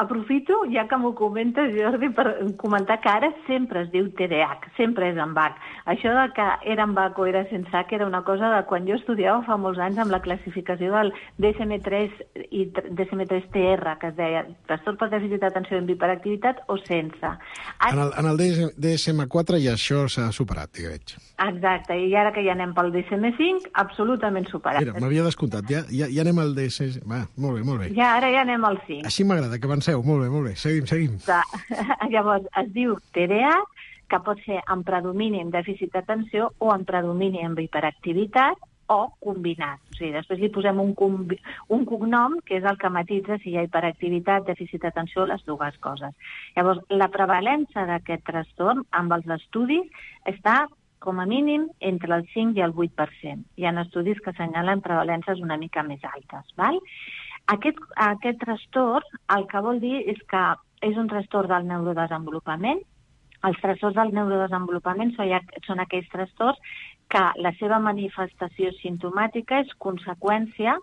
aprofito, ja que m'ho comentes, Jordi, per comentar que ara sempre es diu TDAH, sempre és amb H. Això de que era amb H o era sense H era una cosa de quan jo estudiava fa molts anys amb la classificació del DSM-3 i DSM-3-TR, que es deia trastorn per dèficit d'atenció amb hiperactivitat o sense. En el DSM-4 ja això s'ha superat, digueig. Exacte, i ara que ja anem pel DSM-5, absolutament superat. Mira, m'havia descomptat, ja anem al DSM... Va, molt bé. Ja, ara ja anem al 5. Així m'agrada, que avanceu. Molt bé. Seguim. Llavors, es diu TDAH, que pot ser amb predomini amb dèficit d'atenció o amb predomini amb hiperactivitat o combinat. O sigui, després li posem un cognom, que és el que matitza si hi ha hiperactivitat, dèficit d'atenció, les dues coses. Llavors, la prevalença d'aquest trastorn amb els estudis està com a mínim entre el 5 i el 8%. Hi ha estudis que assenyalen prevalences una mica més altes, val? Aquest trastorn el que vol dir és que és un trastorn del neurodesenvolupament. Els trastorns del neurodesenvolupament són aquells trastorns que la seva manifestació simptomàtica és conseqüència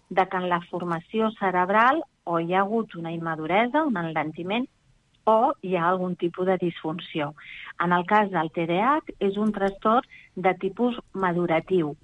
de que en la formació cerebral o hi ha hagut una immaduresa, un enlentiment, o hi ha algun tipus de disfunció. En el cas del TDAH és un trastorn de tipus maduratiu.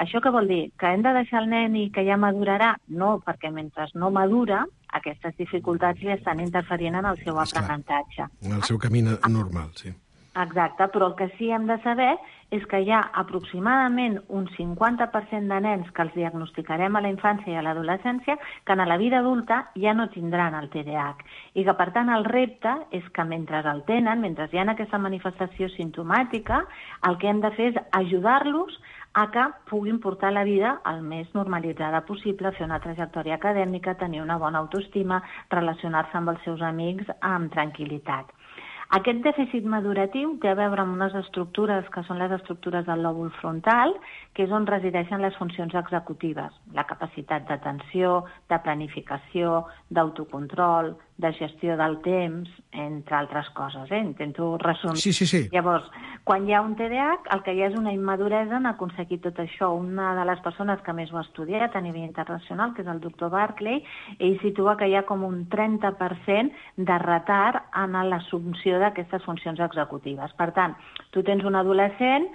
Això què vol dir? Que hem de deixar el nen i que ja madurarà? No, perquè mentre no madura, aquestes dificultats li estan interferint en el seu aprenentatge. En el seu camí normal, sí. Exacte, però el que sí hem de saber és que hi ha aproximadament un 50% de nens que els diagnosticarem a la infància i a l'adolescència que en la vida adulta ja no tindran el TDAH. I que, per tant, el repte és que mentre el tenen, mentre hi ha aquesta manifestació simptomàtica, el que hem de fer és ajudar-los a que puguin portar la vida el més normalitzada possible, fer una trajectòria acadèmica, tenir una bona autoestima, relacionar-se amb els seus amics amb tranquil·litat. Aquest dèficit maduratiu té a veure amb unes estructures que són les estructures del lòbul frontal, que és on resideixen les funcions executives, la capacitat d'atenció, de planificació, d'autocontrol, de gestió del temps, entre altres coses. Intento resumir. Sí. Llavors, quan hi ha un TDAH, el que hi ha és una immaduresa en aconseguir tot això. Una de les persones que més ho ha estudiat a nivell internacional, que és el doctor Barclay, ell situa que hi ha com un 30% de retard en l'assumpció d'aquestes funcions executives. Per tant, tu tens un adolescent,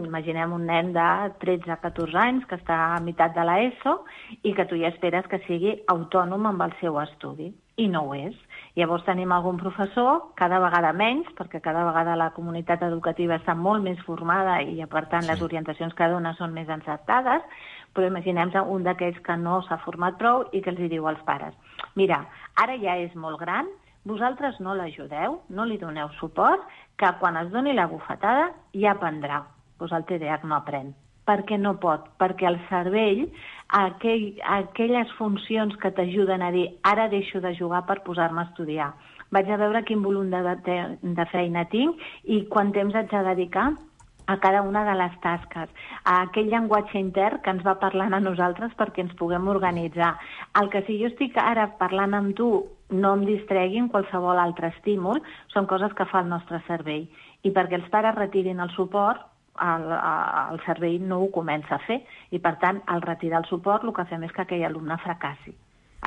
imaginem un nen de 13-14 anys que està a meitat de l'ESO i que tu ja esperes que sigui autònom amb el seu estudi. I no ho és. Llavors tenim algun professor, cada vegada menys, perquè cada vegada la comunitat educativa està molt més formada i, per tant, les orientacions que dona són més encertades, però imaginem un d'aquells que no s'ha format prou i que els diu als pares: mira, ara ja és molt gran, vosaltres no l'ajudeu, no li doneu suport, que quan es doni la bufetada ja aprendrà. Doncs el TDAH no aprèn. Per què no pot? Perquè el cervell, aquelles funcions que t'ajuden a dir ara deixo de jugar per posar-me a estudiar, vaig a veure quin volum de feina tinc i quant temps haig de dedicar a cada una de les tasques, a aquell llenguatge intern que ens va parlant a nosaltres perquè ens puguem organitzar. El que si jo estic ara parlant amb tu no em distregui en qualsevol altre estímul, són coses que fa el nostre cervell. I perquè els pares retirin el suport, el cervell no ho comença a fer i, per tant, al retirar el suport el que fem és que aquell alumne fracassi.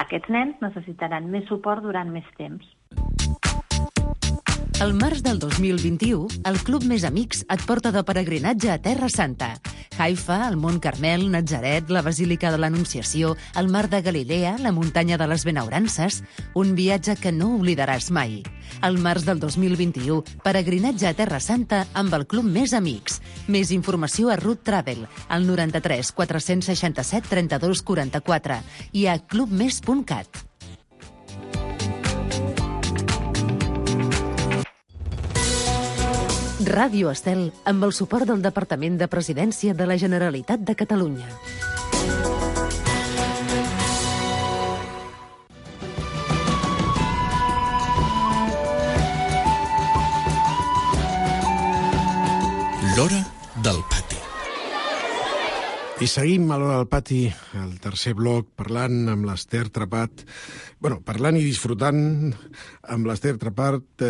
Aquests nens necessitaran més suport durant més temps. Al març del 2021, el Club Més Amics et porta de peregrinatge a Terra Santa. Haifa, el Mont Carmel, Natzaret, la Basílica de l'Anunciació, el Mar de Galilea, la Muntanya de les Benaurances... Un viatge que no oblidaràs mai. Al març del 2021, peregrinatge a Terra Santa amb el Club Més Amics. Més informació a Root Travel, al 93 467 32 44 i a clubmes.cat. Ràdio Estel, amb el suport del Departament de Presidència de la Generalitat de Catalunya. L'hora del pati. I seguim a l'Hora del Pati, el tercer bloc, parlant amb l'Ester Trepat, parlant i disfrutant amb l'Ester Trepat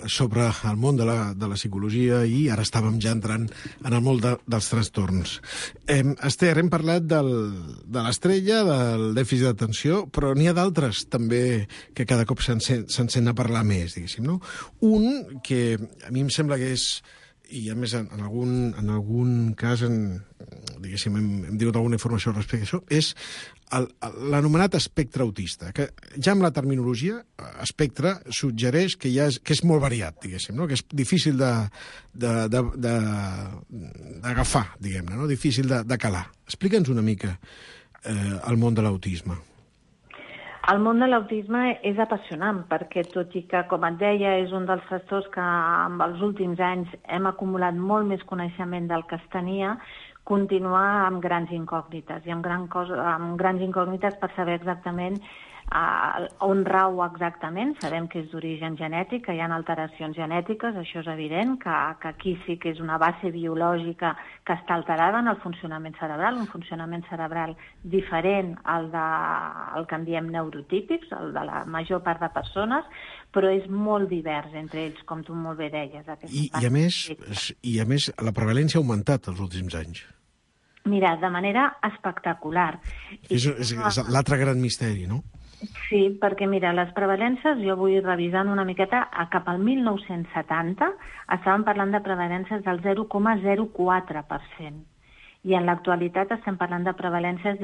sobre el món de la psicologia, i ara estàvem ja entrant en el món dels trastorns. Ester, hem parlat de l'estrella, del dèficit d'atenció, però n'hi ha d'altres també que cada cop se'n sent a parlar més, diguéssim, no? Un que a mi em sembla que és, i a més en algun cas diguéssim, hem dit alguna informació respecte a això, és l'anomenat espectre autista, que ja amb la terminologia espectre suggereix que és molt variat, diguéssim, no? Que és difícil d'agafar, diguem-ne, no? Difícil de calar. Explica'ns una mica el món de l'autisme. El món de l'autisme és apassionant perquè, tot i que, com et deia, és un dels trastorns que en els últims anys hem acumulat molt més coneixement del que es tenia, continua amb grans incògnites, i amb grans incògnites per saber exactament on rau exactament. Sabem que és d'origen genètic, que hi ha alteracions genètiques, això és evident, que aquí sí que és una base biològica que està alterada en el funcionament cerebral, un funcionament cerebral diferent al que en diem neurotípics, el de la major part de persones, però és molt divers entre ells, com tu molt bé deies. I a més, la prevalència ha augmentat els últims anys. Mira, de manera espectacular. És l'altre gran misteri, no? Sí, perquè mira, les prevalències, jo vull revisant una miqueta, cap al 1970 estàvem parlant de prevalències del 0,04%. I en l'actualitat estem parlant de prevalències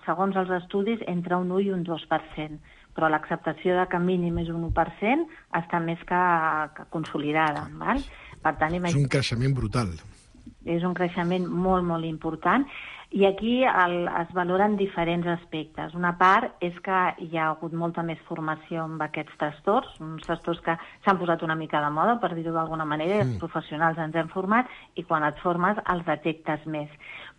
segons els estudis, entre un 1 i un 2%. Però l'acceptació de que mínim és un 1% està més que consolidada. Val? Per tant, és un creixement brutal. És un creixement molt, molt important. I aquí es valoren diferents aspectes. Una part és que hi ha hagut molta més formació amb aquests trastorns, uns trastorns que s'han posat una mica de moda, per dir-ho d'alguna manera, i els professionals ens hem format, i quan et formes els detectes més.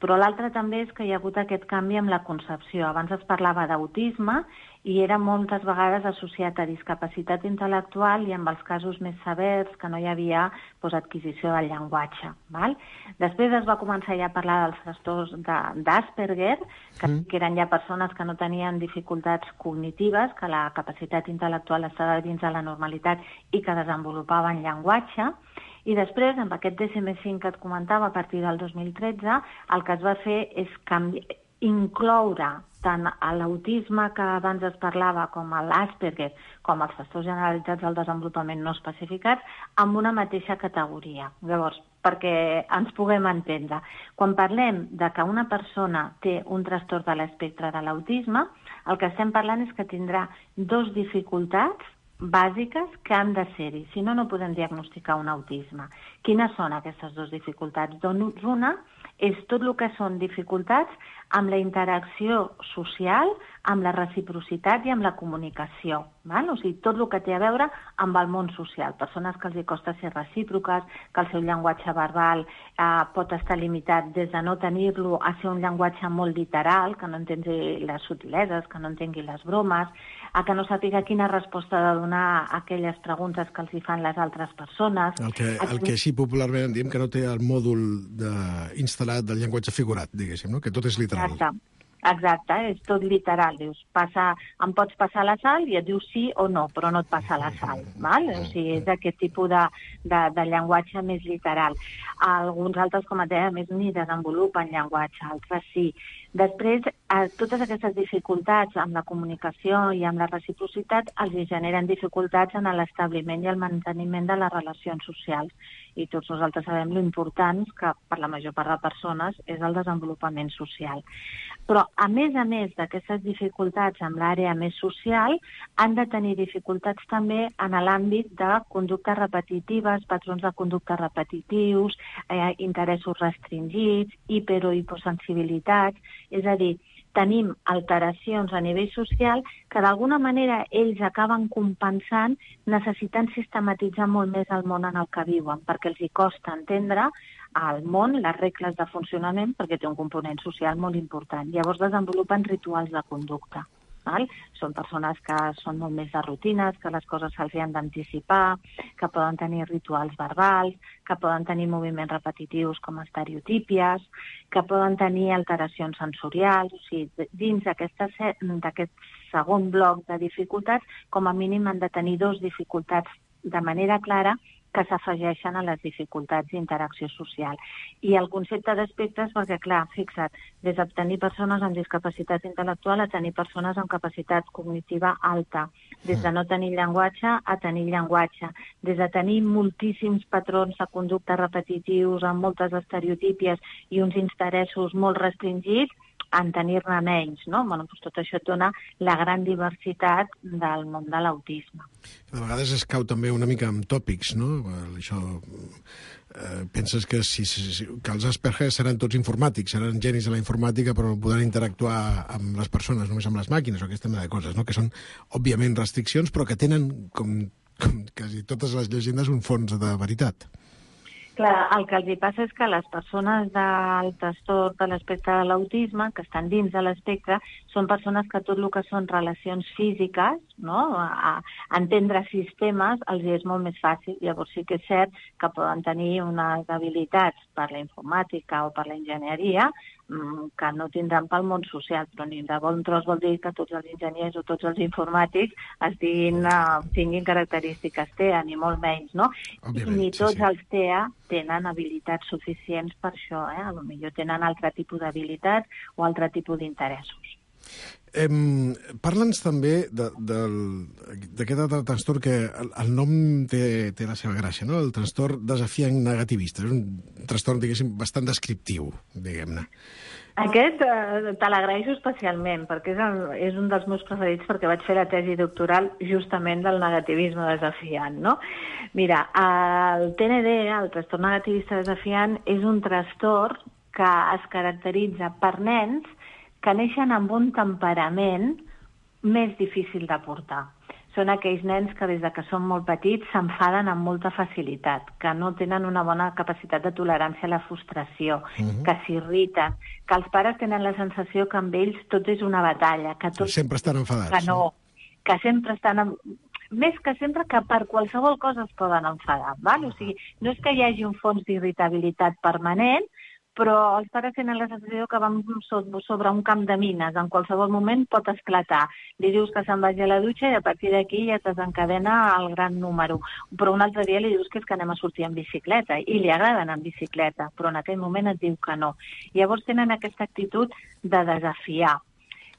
Però l'altre també és que hi ha hagut aquest canvi amb la concepció. Abans es parlava d'autisme i era moltes vegades associat a discapacitat intel·lectual i amb els casos més severs que no hi havia adquisició del llenguatge. Val? Després es va començar ja a parlar dels trastorns d'Asperger, que eren ja persones que no tenien dificultats cognitives, que la capacitat intel·lectual estava dins de la normalitat i que desenvolupaven llenguatge. I després, amb aquest DSM-5 que et comentava, a partir del 2013, el que es va fer és incloure tant l'autisme que abans es parlava com l'Asperger, com els trastorns generalitzats del desenvolupament no especificats, amb una mateixa categoria. Llavors, perquè ens puguem entendre, quan parlem de que una persona té un trastorn de l'espectre de l'autisme, el que estem parlant és que tindrà dues dificultats bàsiques que han de ser-hi, si no, no podem diagnosticar un autisme. Quines són aquestes dues dificultats? Doncs una és tot el que són dificultats amb la interacció social, amb la reciprocitat i amb la comunicació. Val? O sigui, tot el que té a veure amb el món social. Persones que els costa ser recíproques, que el seu llenguatge verbal pot estar limitat des de no tenir-lo a ser un llenguatge molt literal, que no entengui les subtileses, que no entengui les bromes, que no sàpiga quina resposta ha de donar a aquelles preguntes que els hi fan les altres persones. El que així popularment diem que no té el mòdul instal·lat del llenguatge figurat, diguéssim, no? Que tot és literal. Exacte, és tot literal. Dius, em pots passar la sal i et dius sí o no, però no et passa la sal. Val? O sigui, és aquest tipus de llenguatge més literal. Alguns altres, com et deia, més ni desenvolupen llenguatge, altres sí. Després, totes aquestes dificultats amb la comunicació i amb la reciprocitat els generen dificultats en l'establiment i el manteniment de les relacions socials. I tots nosaltres sabem l'important que per la major part de persones és el desenvolupament social. Però, a més d'aquestes dificultats amb l'àrea més social, han de tenir dificultats també en l'àmbit de conductes repetitives, patrons de conducta repetitius, interessos restringits, hiper- o hiposensibilitats. És a dir, tenim alteracions a nivell social que d'alguna manera ells acaben compensant necessitant sistematitzar molt més el món en el que viuen, perquè els hi costa entendre el món, les regles de funcionament, perquè té un component social molt important. Llavors desenvolupen rituals de conducta. val? Són persones que són molt més de rutines, que les coses se'ls han d'anticipar, que poden tenir rituals verbals, que poden tenir moviments repetitius com estereotípies, que poden tenir alteracions sensorials. O sigui, dins d'aquest segon bloc de dificultats, com a mínim han de tenir 2 dificultats de manera clara que s'afegeixen a les dificultats d'interacció social. I el concepte d'espectres, perquè clar, fixa't, des de tenir persones amb discapacitat intel·lectual a tenir persones amb capacitat cognitiva alta, des de no tenir llenguatge a tenir llenguatge, des de tenir moltíssims patrons de conducta repetitius amb moltes estereotípies i uns interessos molt restringits, en tenir-ne menys, no? Bueno, doncs tot això et dona la gran diversitat del món de l'autisme. A vegades es cau també una mica amb tòpics, no? Això, penses que que els Asperger seran tots informàtics, seran genis de la informàtica, però no podran interactuar amb les persones, només amb les màquines, o aquesta mena de coses, no? Que són, òbviament, restriccions, però que tenen, com quasi totes les llegendes, un fons de veritat. Clar, el que els hi passa és que les persones del trastorn de l'espectre de l'autisme, que estan dins de l'espectre, són persones que tot el que són relacions físiques, no? Entendre sistemes, els és molt més fàcil. Llavors sí que és cert que poden tenir unes habilitats per la informàtica o per la enginyeria que no tindran pel món social, però ni de bon tros vol dir que tots els enginyers o tots els informàtics tinguin característiques TEA, ni molt menys, no? Ni tots els TEA tenen habilitats suficients per això, a lo millor tenen altre tipus d'habilitats o altre tipus d'interessos. Parla'ns també d'aquest altre trastorn que el nom té la seva gràcia, no? El trastorn desafiant negativista. És un trastorn, diguéssim, bastant descriptiu, diguem-ne. Aquest te l'agraeixo especialment, perquè és un dels meus preferits, perquè vaig fer la tesi doctoral justament del negativisme desafiant, no? Mira, el TND, el trastorn negativista desafiant, és un trastorn que es caracteritza per nens que neixen amb un temperament més difícil de portar. Són aquells nens que des que són molt petits s'enfaden amb molta facilitat, que no tenen una bona capacitat de tolerància a la frustració, que s'irriten, que els pares tenen la sensació que amb ells tot és una batalla, que tot... Sempre estan enfadats. Que no, que sempre estan... Més que sempre que per qualsevol cosa es poden enfadar, val? O sigui, no és que hi hagi un fons d'irritabilitat permanent, però els pares tenen la sensació que van sobre un camp de mines, en qualsevol moment pot esclatar. Li dius que se'n vagi a la dutxa i a partir d'aquí ja es desencadena el gran número. Però un altre dia li dius que és que anem a sortir en bicicleta i li agrada anar en bicicleta, però en aquell moment et diu que no. Llavors tenen aquesta actitud de desafiar,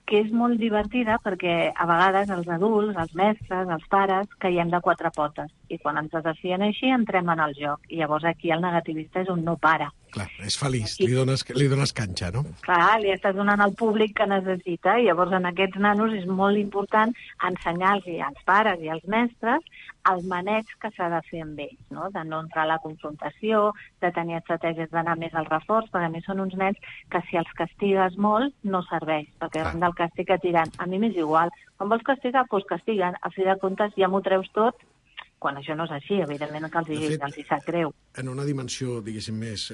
que és molt divertida perquè a vegades els adults, els mestres, els pares, caiem de 4 potes. I quan ens desafien així, entrem en el joc. I llavors aquí el negativista és un no para. Clar, és feliç, li dones canxa, no? Clar, li estàs donant al públic que necessita. I llavors en aquests nanos és molt important ensenyar-los als pares i als mestres el maneig que s'ha de fer amb ells, no? De no entrar a la confrontació, de tenir estratègies d'anar més al reforç, perquè a més són uns nens que si els castigues molt no serveix, perquè davant del càstig et diran, a mi m'és igual, quan vols castigar, doncs castiguen, a fi de comptes ja m'ho treus tot, quan això no és així, evidentment que els hi sap greu. En una dimensió, diguéssim, més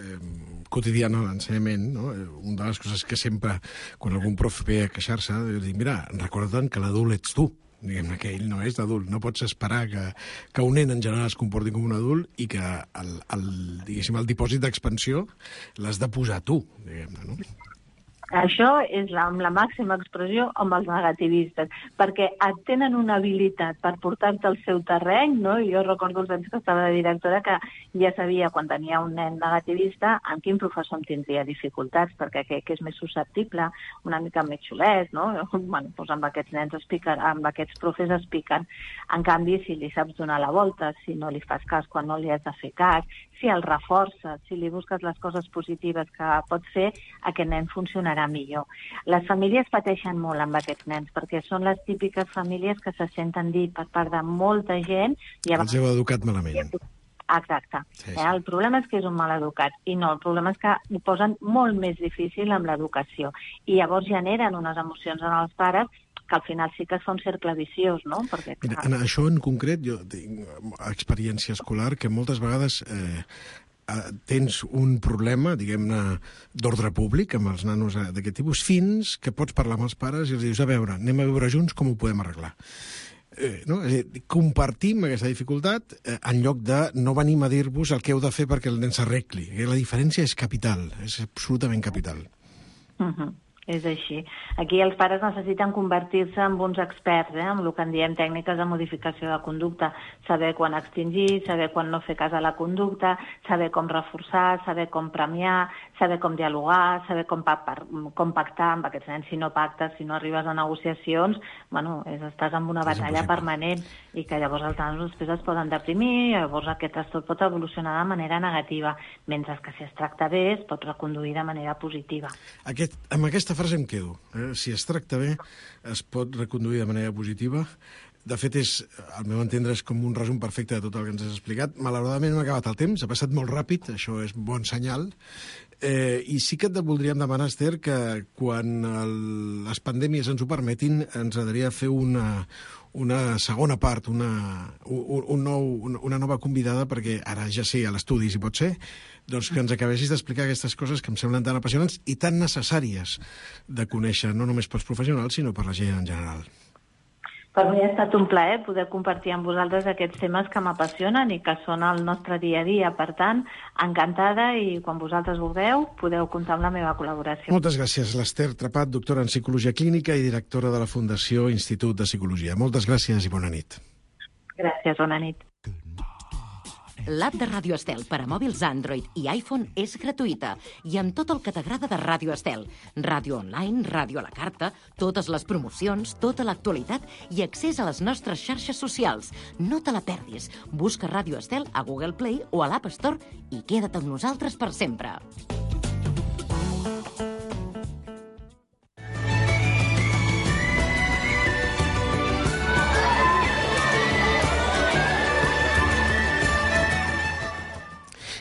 quotidiana de l'ensenyament, no? Una de les coses que sempre, quan algun prof ve a queixar-se, dic, mira, recorda'n que l'adult ets tu, diguem-ne que ell no és d'adult, no pots esperar que un nen en general es comporti com un adult i que el dipòsit d'expansió l'has de posar tu, diguem-ne, no? Això és amb la màxima expressió amb els negativistes, perquè tenen una habilitat per portar-te al seu terreny, no? Jo recordo els anys que estava de directora que ja sabia, quan tenia un nen negativista, amb quin professor em tindria dificultats, perquè que és més susceptible, una mica més xulet, no? Bueno, doncs amb aquests nens amb aquests profes es piquen. En canvi, si li saps donar la volta, si no li fas cas quan no li has de fer cas, si el reforces, si li busques les coses positives que pot fer, aquest nen funcionarà millor. Les famílies pateixen molt amb aquests nens, perquè són les típiques famílies que se senten dir per part de molta gent... Els heu educat malament. Exacte. Sí. El problema és que és un mal educat, i no, el problema és que ho posen molt més difícil amb l'educació, i llavors generen unes emocions en els pares que al final sí que es fa un cercle viciós, no? Perquè, mira, en això en concret, jo tinc experiència escolar que moltes vegades tens un problema, diguem-ne, d'ordre públic amb els nanos d'aquest tipus, fins que pots parlar amb els pares i els dius, a veure, anem a viure junts, com ho podem arreglar? No? És a dir, compartim aquesta dificultat en lloc de no venim a dir-vos el que heu de fer perquè el nen s'arregli. La diferència és capital, és absolutament capital. És així. Aquí els pares necessiten convertir-se en uns experts, en el que en diem tècniques de modificació de conducta, saber quan extingir, saber quan no fer cas a la conducta, saber com reforçar, saber com premiar, saber com dialogar, saber com pactar amb aquests nens. Si no pactes, si no arribes a negociacions, estàs en una batalla permanent i que llavors els nanos després es poden deprimir, llavors aquest trastorn pot evolucionar de manera negativa, mentre que si es tracta bé es pot reconduir de manera positiva. Amb aquesta frase em quedo. Si es tracta bé, es pot reconduir de manera positiva. De fet, al meu entendre, és com un resum perfecte de tot el que ens has explicat. Malauradament hem acabat el temps, ha passat molt ràpid, això és bon senyal. I sí que et voldríem demanar, Esther, que quan les pandèmies ens ho permetin, ens agradaria fer una segona part, una nova convidada, perquè ara ja sé, a l'estudi, si pot ser, doncs que ens acabessis d'explicar aquestes coses que em semblen tan apassionants i tan necessàries de conèixer, no només pels professionals, sinó per la gent en general. Per mi ha estat un plaer poder compartir amb vosaltres aquests temes que m'apassionen i que són el nostre dia a dia. Per tant, encantada, i quan vosaltres vulgueu podeu comptar amb la meva col·laboració. Moltes gràcies, l'Esther Trepat, doctora en Psicologia Clínica i directora de la Fundació Institut de Psicologia. Moltes gràcies i bona nit. Gràcies, bona nit. L'app de Ràdio Estel per a mòbils Android i iPhone és gratuïta i amb tot el que t'agrada de Ràdio Estel. Ràdio online, ràdio a la carta, totes les promocions, tota l'actualitat i accés a les nostres xarxes socials. No te la perdis. Busca Ràdio Estel a Google Play o a l'App Store i queda't amb nosaltres per sempre.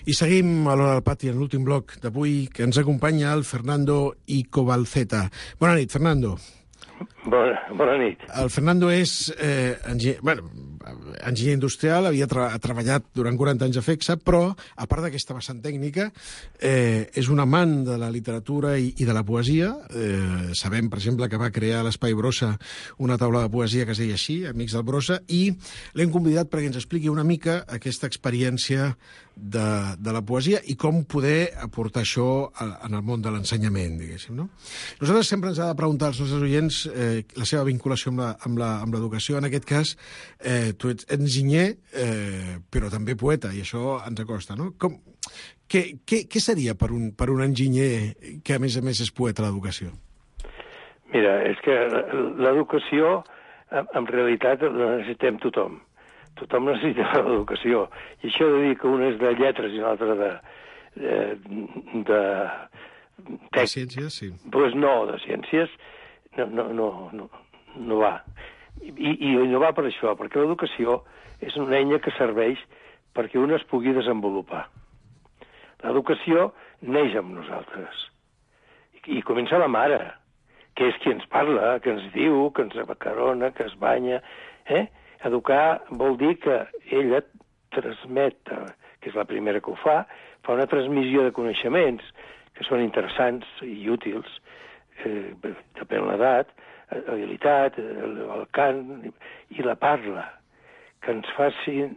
I seguim a l'Hora del Pati en l'últim bloc d'avui, que ens acompanya el Fernando Icobalceta. Bona nit, Fernando. Bona nit. El Fernando és enginyer industrial, havia treballat durant 40 anys a FECSA, però, a part d'aquesta vessant tècnica, és un amant de la literatura i de la poesia. Sabem, per exemple, que va crear a l'Espai Brossa una taula de poesia que es deia així, Amics del Brossa, i l'hem convidat perquè ens expliqui una mica aquesta experiència de la poesia i com poder aportar això en el món de l'ensenyament, diguéssim, no? Nosaltres sempre ens ha de preguntar als nostres oients la seva vinculació amb l'educació. En aquest cas, tu ets enginyer, però també poeta, i això ens acosta, no? Què seria per un enginyer que, a més és poeta, l'educació? Mira, és que l'educació, en realitat, la necessitem tothom. Tothom necessita l'educació. I això de dir que un és de lletres i un altre de ciències, sí. Doncs no, de ciències no va. I no va per això, perquè l'educació és una eina que serveix perquè un es pugui desenvolupar. L'educació neix amb nosaltres. I comença la mare, que és qui ens parla, que ens diu, que ens abacarona, que es banya. Educar vol dir que ella transmet, que és la primera que ho fa una transmissió de coneixements que són interessants i útils, depèn l'edat, l'habilitat, el cant i la parla, que ens facin...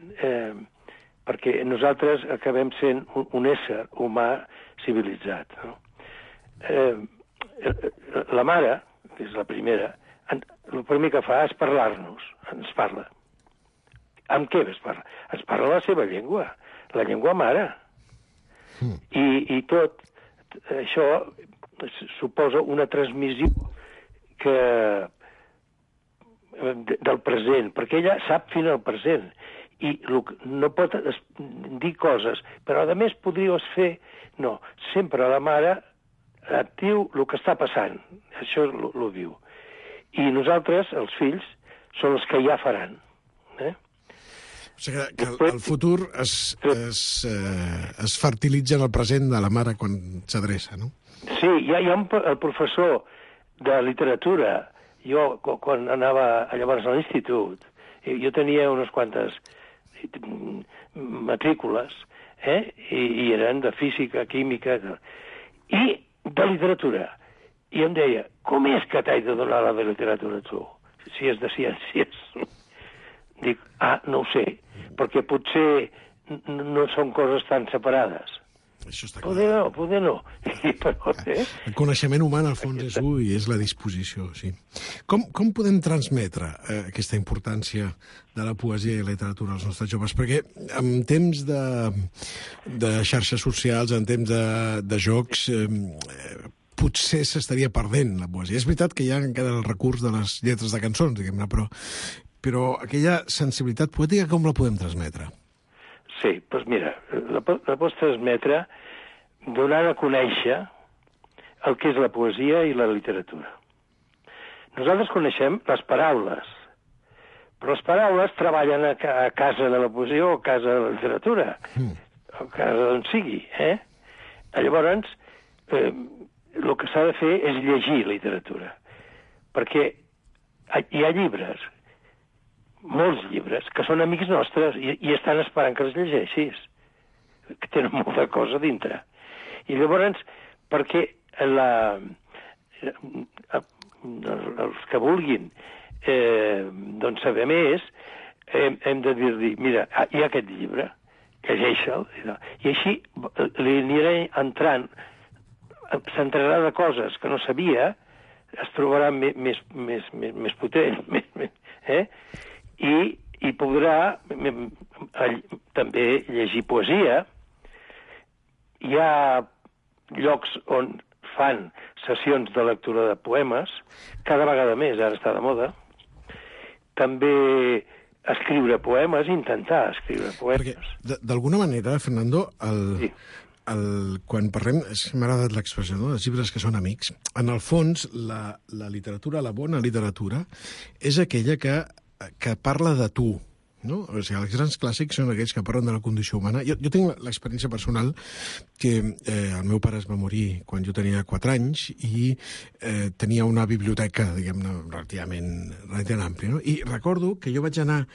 perquè nosaltres acabem sent un ésser humà civilitzat. No? La mare, que és la primera, el primer que fa és parlar-nos, ens parla. Amb què es parla? Ens parla la seva llengua, la llengua mare. I tot això suposa una transmissió del present, perquè ella sap fins al present i no pot dir coses, però a més podries fer... No, sempre la mare et diu el que està passant, això ho diu. I nosaltres, els fills, són els que ja faran. O sigui que el futur es fertilitza en el present de la mare quan s'adreça, no? Sí, hi ha el professor de literatura. Jo, quan anava llavors a l'institut, jo tenia unes quantes matrícules, I eren de física, química, i de literatura. I em deia, com és que t'has de donar la de literatura tu, si és de ciències? Dic, no ho sé, perquè potser no són coses tan separades. Això està clar. Poder no. Però, El coneixement humà, en el fons, és un i és la disposició, sí. Com podem transmetre aquesta importància de la poesia i la literatura als nostres joves? Perquè en temps de xarxes socials, en temps de jocs, potser s'estaria perdent la poesia. És veritat que hi ha encara el recurs de les lletres de cançons, diguem-ne, però aquella sensibilitat poètica com la podem transmetre? Sí, doncs mira, la pots transmetre donant a conèixer el que és la poesia i la literatura. Nosaltres coneixem les paraules, però les paraules treballen a casa de la poesia o a casa de la literatura, o a casa d'on sigui. Llavors, el que s'ha de fer és llegir literatura, perquè hi ha llibres, molts llibres, que són amics nostres i estan esperant que els llegeixis, que tenen molta cosa dintre. I llavors, perquè els que vulguin doncs saber més, hem de dir-li, mira, hi ha aquest llibre, llegeix-el, i així li anirà entrant, s'entrarà de coses que no sabia, es trobarà més potent, i podrà també llegir poesia. Hi ha llocs on fan sessions de lectura de poemes, cada vegada més, ara està de moda. També escriure poemes, intentar escriure poemes. Perquè, d'alguna manera, Fernando, quan parlem, m'ha agradat l'expressió, no?, dels llibres que són amics, en el fons, la literatura, la bona literatura, és aquella que parla de tu, no? O sigui, els grans clàssics són aquells que parlen de la condició humana. Jo tinc l'experiència personal que el meu pare es va morir quan jo tenia 4 anys i tenia una biblioteca, diguem-ne, relativament àmplia, no? I recordo que jo vaig anar,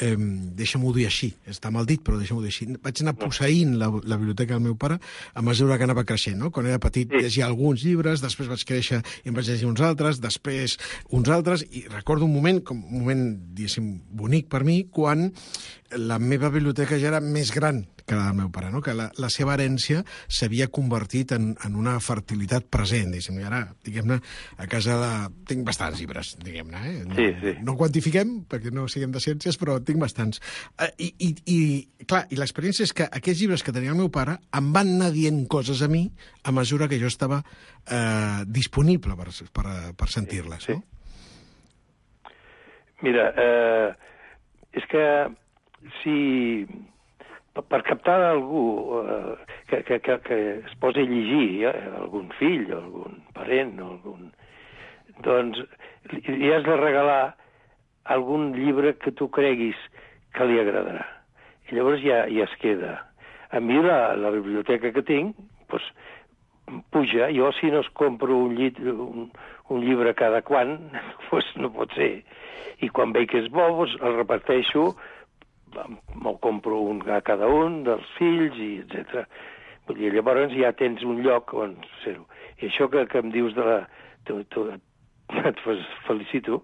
deixa'm-ho dir així, està mal dit, però deixa'm-ho dir així, vaig anar posseint la biblioteca del meu pare a mesura que anava creixent, no? Quan era petit llegia alguns llibres, després vaig créixer i em vaig llegir uns altres, després uns altres, i recordo un moment, diguéssim, bonic per mi, quan la meva biblioteca ja era més gran que la del meu pare, no? Que la seva herència s'havia convertit en una fertilitat present, diguéssim, i ara, diguem-ne, a casa tinc bastants llibres, diguem-ne, No quantifiquem, perquè no siguem de ciències, però tinc bastants. Clar, i l'experiència és que aquests llibres que tenia el meu pare em van anar dient coses a mi a mesura que jo estava disponible per sentir-les, no? Mira, és que si per captar algú que es posi a llegir, algun fill o algun parent o doncs li has de regalar algun llibre que tu creguis que li agradarà. I llavors ja es queda. A mi la biblioteca que tinc doncs, puja. Jo si no es compro un llibre cada quan, doncs no pot ser. I quan veig que és bo, doncs el reparteixo, me'l compro un a cada un dels fills, i etc. Vull dir, llavors ja tens un lloc on fer-ho. I això que em dius de la... Et felicito,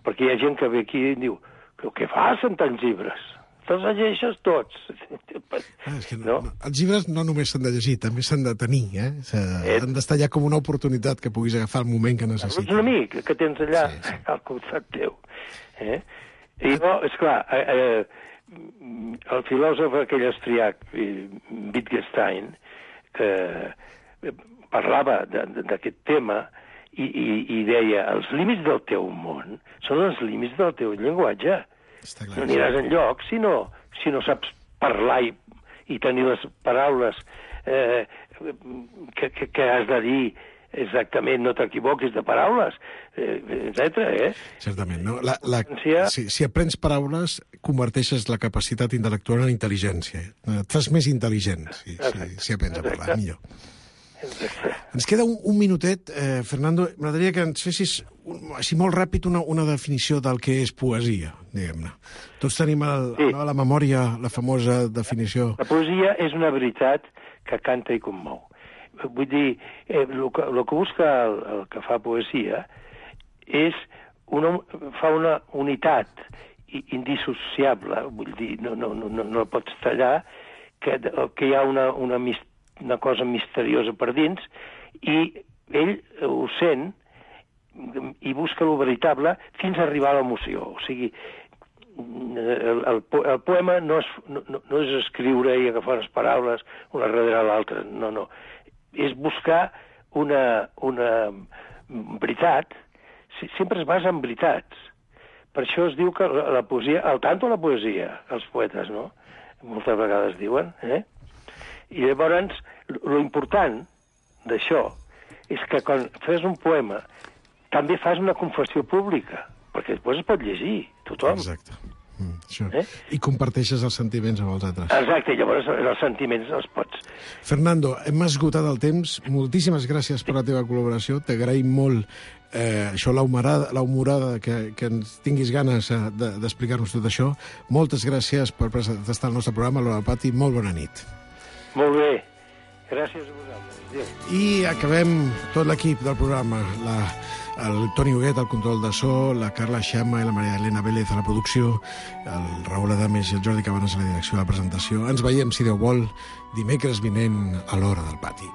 perquè hi ha gent que ve aquí i diu, què fas amb tants llibres? Te'ls llegeixes tots. És que els llibres no només s'han de llegir, també s'han de tenir, han d'estar allà com una oportunitat que puguis agafar el moment que necessites. Un amic que tens allà al costat teu. I no, esclar, el filòsof aquell austriac, Wittgenstein, que parlava d'aquest tema i deia, els límits del teu món són els límits del teu llenguatge. No aniràs enlloc si no saps parlar i tenir les paraules que has de dir exactament, no t'equivoquis de paraules, etc. Certament, no? Si aprens paraules, converteixes la capacitat intel·lectual en intel·ligència. Et fas més intel·ligent si aprens a parlar, millor. Ens queda un minutet, Fernando. M'agradaria que ens fessis, així molt ràpid, una definició del que és poesia, diguem-ne. Tots tenim a la memòria la famosa definició. La poesia és una veritat que canta i commou. Vull dir, el que busca el que fa poesia és fa una unitat indissociable, vull dir, no pots tallar, que hi ha una cosa misteriosa per dins, i ell ho sent i busca lo veritable fins a arribar a l'emoció. O sigui, el poema no és escriure i agafar les paraules una darrere l'altra, no. És buscar una veritat, sempre es basa en veritats. Per això es diu que la poesia, al tanto la poesia, els poetes, no? Moltes vegades diuen, I llavors, l'important d'això és que quan fes un poema també fas una confessió pública, perquè després es pot llegir, tothom. Exacte. Això. I comparteixes els sentiments amb els altres. Exacte, llavors els sentiments els pots. Fernando, hem esgotat el temps. Moltíssimes gràcies per la teva col·laboració. T'agraïm molt això, l'humorada, que ens tinguis ganes d'explicar-nos tot això. Moltes gràcies per estar al nostre programa, l'Hora del Pati. Molt bona nit. Molt bé. Gràcies a vosaltres. Adéu. I acabem tot l'equip del programa. El Toni Huguet al control de so, la Carla Xama i la Maria Elena Vélez a la producció, el Raül Adames i el Jordi Cabanes a la direcció de la presentació. Ens veiem, si Déu vol, dimecres vinent a l'Hora del Pati.